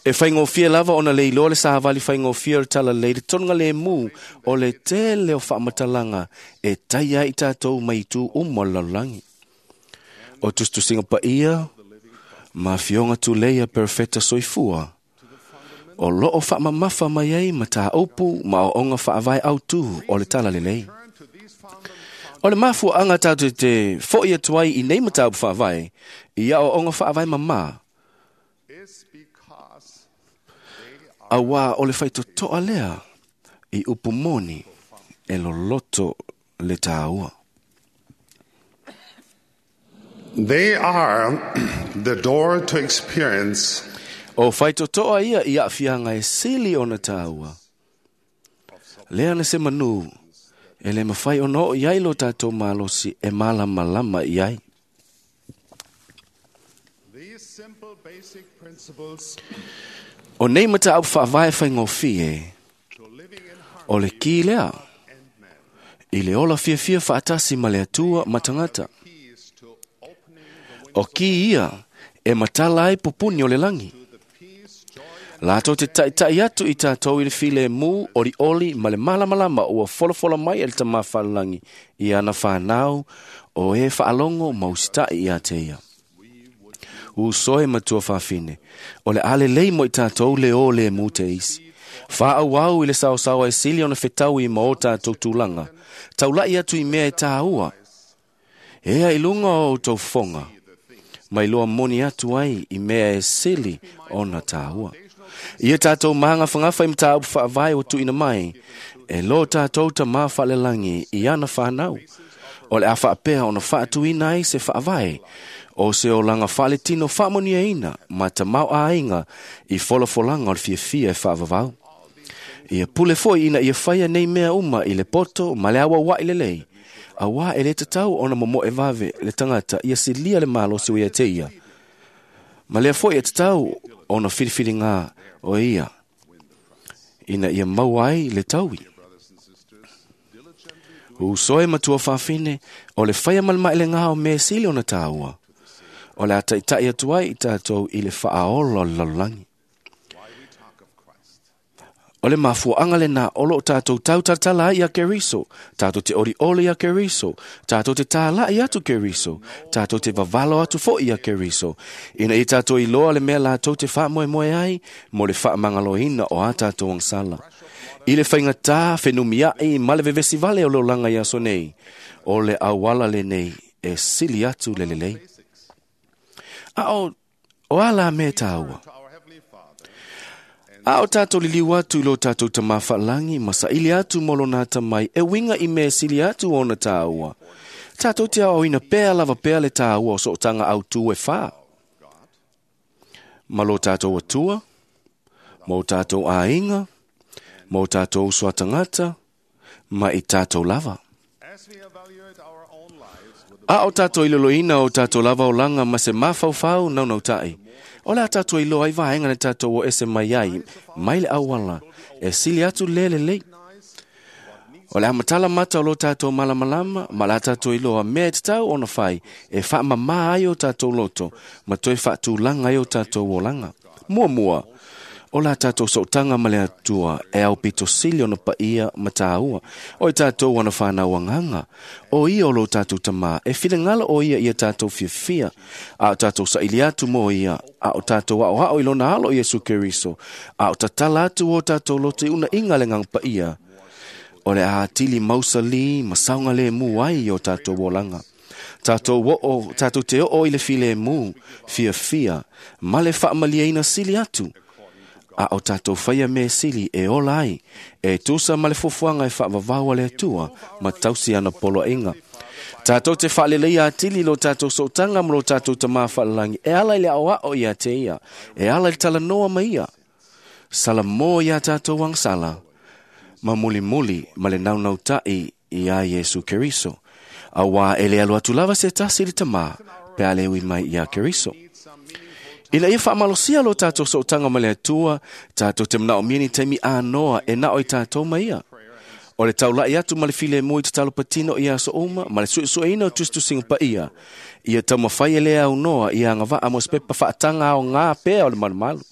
E faigofie lava ona le iloa le savali faigofie o le talalelei le toga lemu o le tele o faamatalaga e taia ai i tatou mai itu uma o le lalolagi. O tusitusiga paia ma afioga tulei a perofeta soifua o loo faamamafa mai ai mataupu ma aoaoga faavae autū o le talalelei. O le mafuaaga tatou te fo'i atu ai i nei mataupu faavae i aoaoga faavae mamā, auā o le faitotoa lea i upu moni e loloto le tāua. They are the door to experience O faitotoa ia i aafiaga e sili ona tāua. Lea na se manu e le mafai ona oo i ai lo tatou malosi e malamalama i ai. these simple basic principles O nei mataupu faavae faigofie, o le ki lea i le ola fiafia faatasi ma le Atua ma tagata. O ki ia e matala ai pupuni o le lagi. Latou te taitai atu i tatou i le filemu olioli ma le malamalama ua folafola mai e le Tamā Fa'alelagi i ana fanau o e faalogo ma usita'i ia te ia. Uso e matua fafine, o le alelei mo i tatou le o le mu te isi. Faaauau i le saosaoa e sili ona fetaui ma o tatou tulaga. Taula'i atu i mea e tāua. Ea i luga o outou fofoga, mai loa moni atu ai i mea e sili ona tāua. Ia tatou magafagafa i mataupu faavae ua tuuina mai, e lo tatou Tamā Fa'alelagi i ana fanau. O le a faapea ona faatuina ai se faavae o se olaga faaletino faamanuiaina ma tamaoaiga i folafolaga o le fiafia e faavavau. Ia pule foi ina ia faia nei mea uma i le poto ma le auaua'i lelei, auā e lē tatau ona momo'e vave le tagata ia silia le malosi ua ia te ia. Ma lea foi e tatau ona filifiligā o ia, ina ia maua ai le taui. Uso e matua fafine, o le faia ma le maelegā o mea e sili ona tāua. O le a taitai atu ai i tatou i le faaola o le lalolagi. O le mafuaaga lenā o loo tatou tautalatala ai ia Keriso, tatou te olioli ia Keriso, tatou te tāla'i atu Keriso, tatou te vavalo atu fo'i ia Keriso, ina ia tatou iloa le mea latou te faamoemoe ai mo le faamagaloina o a tatou agasala. I le faigatā fenumia'i ma le vevesi vale o le olaga i aso nei, o le auala lenei e sili atu le lelei. A o, o a la mea tāua? A o tātou liliu atu i lo tātou Tamā Fa'alagi ma saili atu mo lona atamai e uiga i mea e sili atu ona tāua. Tātou te aoaoina pea lava pea le tāua o sootaga autū e whā. Ma lo tātou Atua, ma o tātou aiga, ma o tātou uso a tagata, ma i tātou lava. A o tātou iloloina o tātou lava olaga ma se mafaufau naunauta'i. O le a tātou iloa ai vaega na tātou o ese mai ai, mai le auala, e sili atu le lelei. O le a matala mata o lo tātou malamalama, ma le a tātou iloa mea e tatau ona fai, e faamamā ai o tātou loto, ma toe faatulaga ai o tātou olaga. Muamua, o la tātou sootaga ma le Atua e aupito sili ona paia ma tāua. O i tātou ana whanau agaga, o ia o lo tātou tamā, e finagalo o ia ia tātou fiafia, a o tātou saili atu mo ia, a o tātou aoao i lona alo Iesu Keriso, a o tatala atu o tātou loto i una inga le agaga paia. O le a atili mausalī ma saogalēmū ai i o tātou olaga. Tātou oo, tātou te oo i le filēmū, fiafia, ma le faamalieina sili atu, A o tātou whaia me sili e ola ai, e tūsa ma le fuafuaga e faavavau a le Atua ma tausi ana poloaiga. Tātou te faalelei atili lo tātou sootaga ma lo tātou tamā faalalangi, e ala i le aoao ia te ia, e ala i le talanoa ma ia. Salamō iā tātou agasala, ma mulimuli ma le naunautai iā Iesu Keriso. Auā e le alu atu lava se tasi i le tamā, pe a le ui mai iā Keriso. Ina ia faamalosia lo tātou sootaga ma le Atua, tātou te manaomia ni taimi anoa e nao i tātou ma ia. O le taulai atu ma le filemu i tatalo patino i aso uma, ma le suesueina o tusitusiga paia. Ia taumafai e le aunoa ia agavaa mo se pepa faataga aogā pea o le malumalu.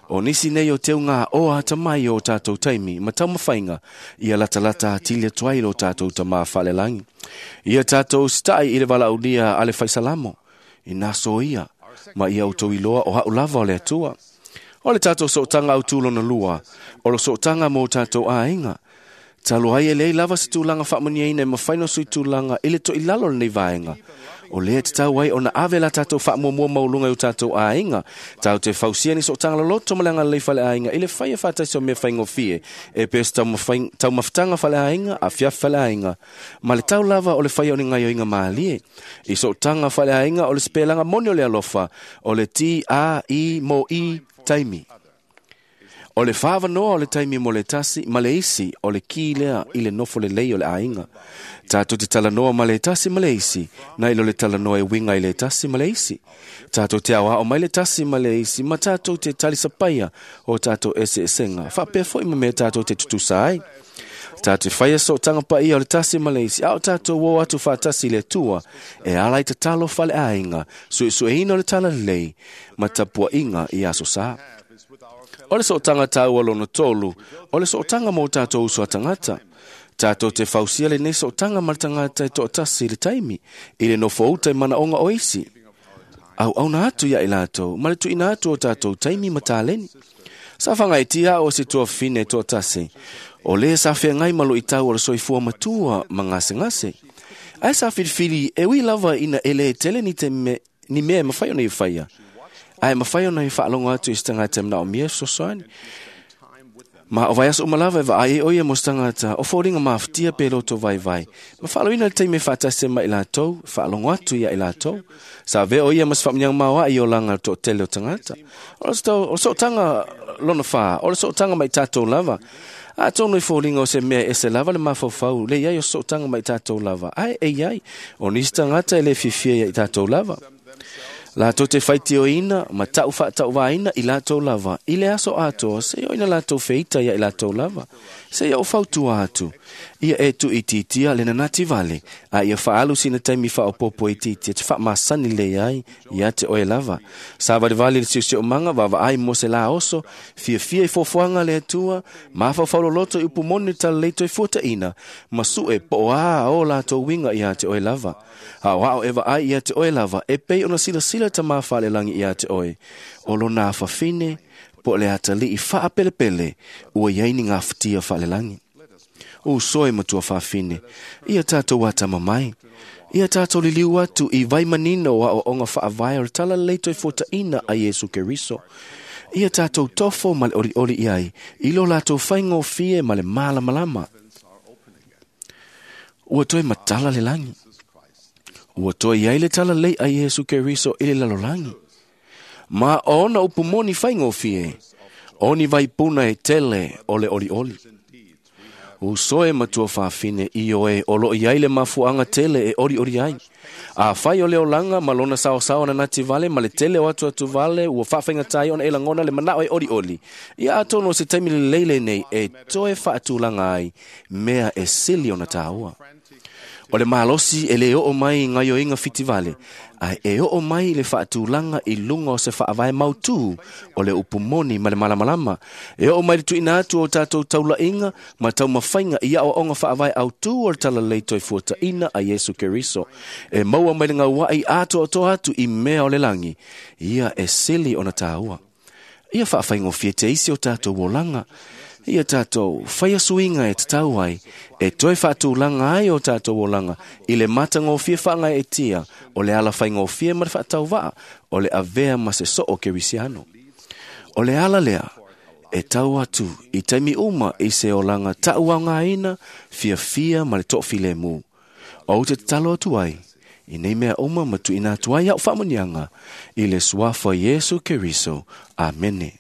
O nisi nei o teuga o atamai o tātou taimi, ma taumafaiga, ia latalata atili atu ai lo tātou tamā faalelagi. Ia tātou sita'i i le valaaulia a le faisalamo, ina so ia, ma ia outou iloa o ha'u lava o le Atua. O le tātou sootaga autū lona lua, o le sootaga mo tātou aiga. Talu ai e leai lava se tulaga faamanuiaina e mafai ona suitulaga i le toʻilalo o lenei vaega. O lea tatau ai ona ave la tātou faamuamua maualuga i o tātou aiga. Tatou te fausia ni sootaga loloto ma le agalelei faleaiga i le faia faataisi o mea faigofie e pei o se taumafataga faleaiga, afiafi faleaiga, ma le tau lava o le faia o ni gaoioiga mālie. I sootaga faleaiga o le sepelaga moni o le alofa, o le T A I mo I taimi. O le whāwanoa o le taimi mo le tasi, ma le isi o le ki lea i le nofo lelei o le aiga. Tātou te talanoa ma le tasi ma le isi, nai lo le talanoa e winga i le tasi ma le isi. Tātou te aoao mai le tasi ma le isi, ma tātou te talisapaia o tātou eseesenga. Whaapea foi ma mea tātou te tutusa ai. Tātou te whaia sootaga paia o le tasi ma le isi, a o tātou o atu whaatasi le Atua, e ala i tatalo fale aiga, suesueina o le talalelei, ma tapuaiga i aso sa. O le sootaga tāua lona tolu, o le sootaga mo tātou uso a tagata. Tātou te fausia lenei sootaga ma le tagata e toatasi i le taimi, i le nofo uta i manaoga o isi. Auauna atu ia i latou, ma le tuuina atu o tātou taimi ma taleni. Sa whangaitia o se tuafine toatasi, o le sa whengai malo i tau o le soifua matua ma ngasengase. Ai sa filifili e ui lava ina ele tele ni, te me, ni mea e mawhai ona i whaia. Ai mawhai ona i whaalongo atu i se tangata manaomia fesoasoani. Ma o vaiaso uma lava e vaai e oia mo se tagata o foliga mafatia pe loto vaivai. Ma faaloina le taimi e faatasi ai ma i latou, faalogo atu ia i latou. Sa avea o ia ma se faamanuiaga maoaʻi i olaga le toatele o tagata. O le sootaga lona fā, o le sootaga mai tatou lava. Atonu i foliga o se mea e ese lava le mafaufau, le iai o sootaga mai tatou lava. Ae e iai, o nisi tagata e le fiafia ia i tatou lava. Latou te faitioina ma ta'u faatauvaina i latou lava i le aso atoa, seia o ina latou feita ia i latou lava. Seia o fautua atu, ia e tuuitiitia le nanati vale, a ia faaalu sina taimi faaopoopo itiitia te faamasani lelei ai ia te oe lava. Savalivali le siosiomaga, vaavaai mo se la oso, fiafia i foafoaga a le Atua, mafaufau loloto i upu moni le talalei toe fuataʻina, ma suʻe po o ā o latou uiga ia te oe lava. Aoao e vaai ia te oe lava, e pei ona silasila tamā faalelagi ia te oe. O lona afafine, po o le atalii faapelepele, ua iai ni gafatia faalelagi. Uso e matua faafine, ia tātou atama mai. Ia tātou liliu atu i vaimanino o aoaoga faavae o le talalelei toe fuataʻina a Iesu Keriso. Ia tātou tofo ma le olioli i ai, i lo latou faigofie ma le malamalama. Ua toe matala le lagi. Ua toe iai le talalelei a Iesu Keriso i le lalolagi. Ma o ona upu moni faigofie, o ni vaipuna e tele o le olioli. Uso e matua faafine i oe o loo iai le mafuaaga tele e olioli ai. Afai o le olaga ma lona saosao nanati vale ma le tele o atuatu vale ua faafaigatā ai ona e lagona le manao e olioli. Ia atonu o se taimi lelei lenei e toe faatulaga ai mea e sili ona tāua. O le malosi e le oo mai i gaoioiga fitivale, ae e oo mai i le faatulaga i luga o se faavae mautū o le upu moni ma le malamalama. E oo mai le tuuina atu o tātou taulaiga ma taumafaiga i aoaoga faavae autū o le talalelei toe fuataʻina a Iesu Keriso. E maua mai le gauaʻi atoatoa atu i mea o le lagi, ia e sili ona tāua. Ia faafaigofie te isi o tātou olaga. Ia tātou whaia suinga e tatau ai, e toe faatulaga ai o tātou olaga, i le matagofie whaangai e tia, o le ala whaigofie ma le faatauvaa, o le avea ma se soo kerisiano. O le ala lea, E tau atu i taimi uma i se olanga ta'uaogāina fiafia ma le to'afilemu. Ou te tatalo atu ai i nei mea uma ma tuuina atu ai a'u faamuniaga i le suafa Iesu Keriso. Amene.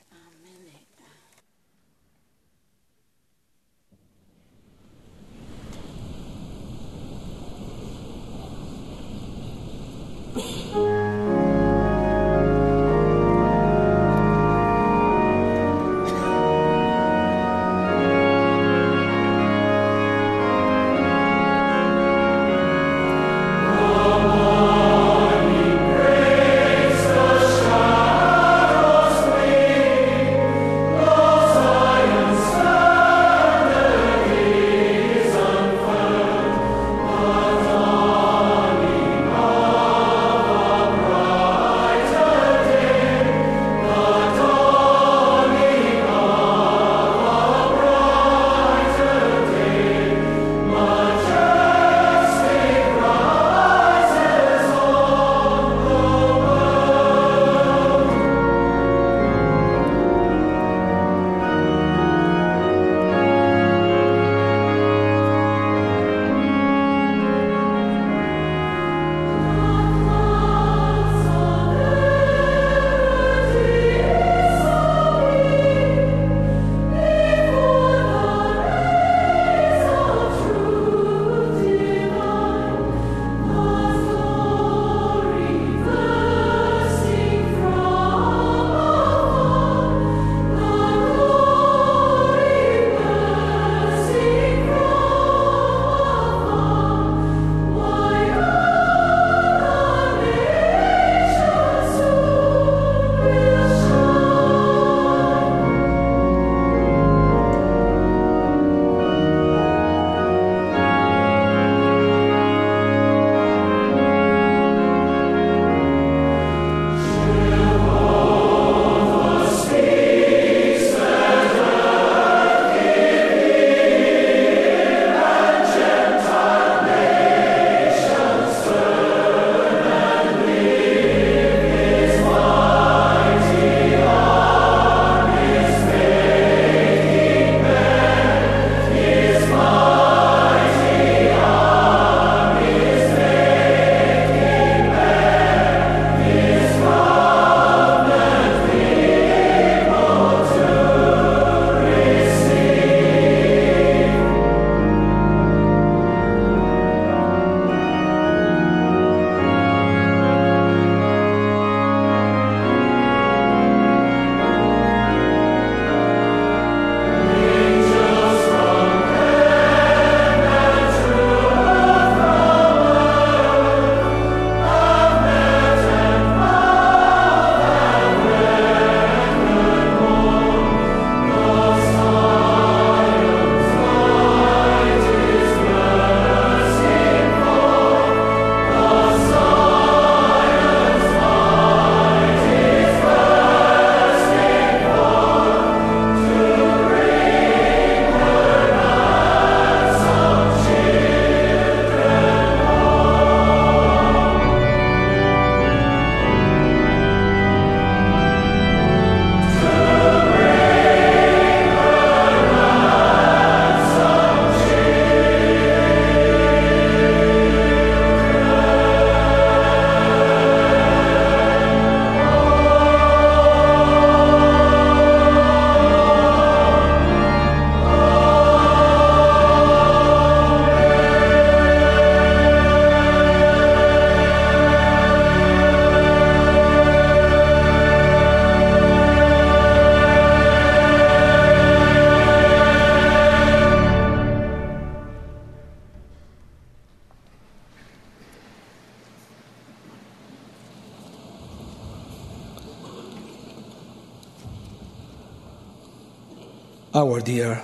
Our dear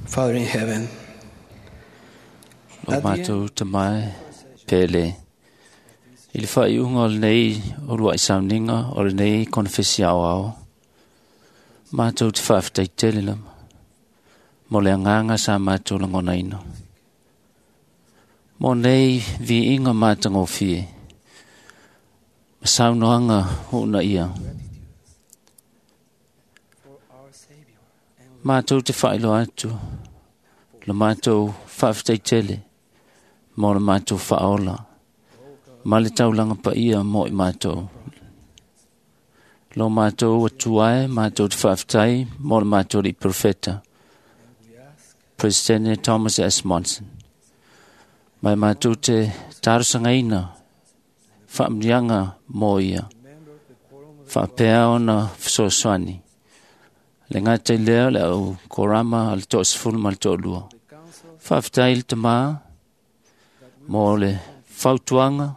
Father in heaven, O mātou tamai pele. I le whaiunga o lenei o lua i sauninga o lenei konfesi ao ao. Mātou te whaafetai tele lama. Mo le anganga sa mātou langona ino. Mo nei vi inga mātangofie. Ma saunoanga hoona ia. Mātou te whailoa atu, le mātou whaafetaitele, mō le mātou whaola, ma le taulanga pa ia mō i mātou. Lo mātou atuae, mātou te whaafetai, mō le mātou li profeta, President Thomas S. Monson. Mai mātou te tārusangaina, whaamnianga mō ia, whaapea ona whasoaswani. Le ngātai leo le au korama al tō sefulu ma le tō lua. Whaafetai le tamā mō le fautuanga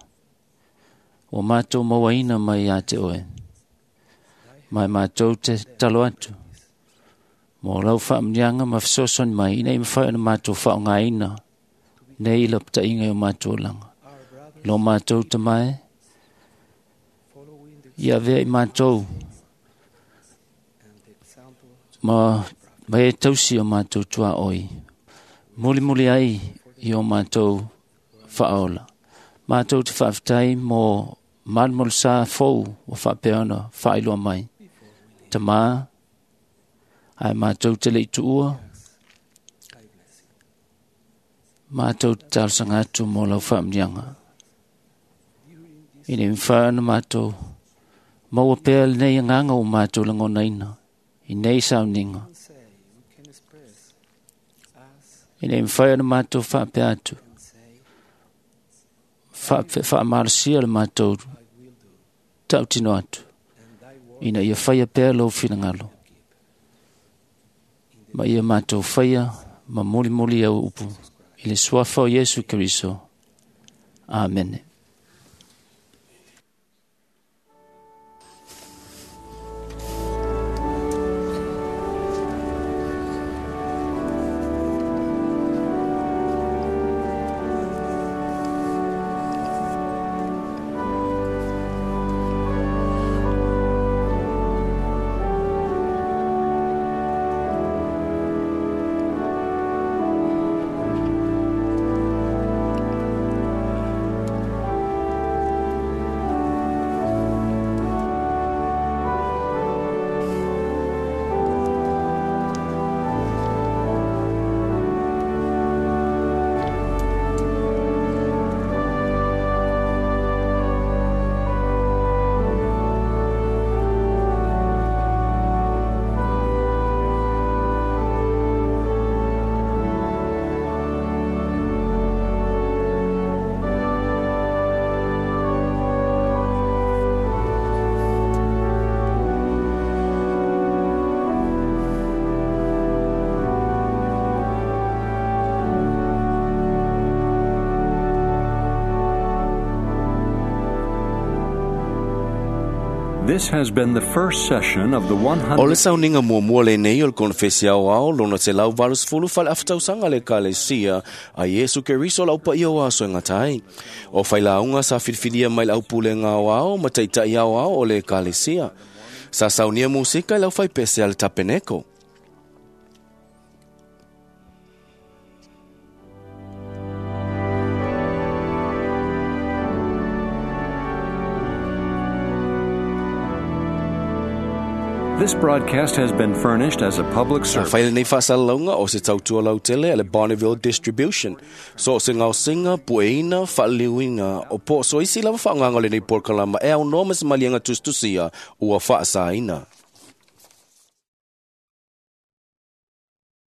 o mātou mauaina mai a te oe. Mai mātou te talo atu. Mō lau whaamnianga ma whasosoni mai ina i mawhai ona mātou whaongaina nei ila ptainga o mātou langa. Lo mātou te mai, ia vea i mātou ma mai e tausi o mātou tua oi. Muli muli ai i o mātou whaola. Mātou te whaafetai mō malmol sa fou o whaapeona whailua mai. Tamā, ai mātou te lei tuua, mātou te talsanga atu mō lau whaamnianga. Ine mwhaana mātou, maua pēr nei nganga o mātou langona ina, i nei sauninga. Ine mwhaana mātou whaapea atu, whaamarasia le mātou tautino atu, ina ia whaia pēr lau whinangalo. Ma ia mātou whaia, ma muli muli au upu, i le suafa o Yesu Kristo. Amene. This has been the first session of the one hundred O le sauninga muamua lenei o le konefesi aoao lona te lau valusefulu faleafatausanga le ekalesia a Iesu Keriso lau paia o aso e gata ai. O failauga sa filifilia mai le aupulega aoao ma taita'i aoao o le ekalesia. Sa saunia musika i lau faipese a le tapeneko. This broadcast has been furnished as a public Sa service. whaile nei whaasalalaunga o se tautua lautele a le Bonneville Distribution. So se ngau singa, pueina, whaaliliuina, o po so isi lava whaanganga le nei porkalama e au no mas malianga tustusia ua whaasaina.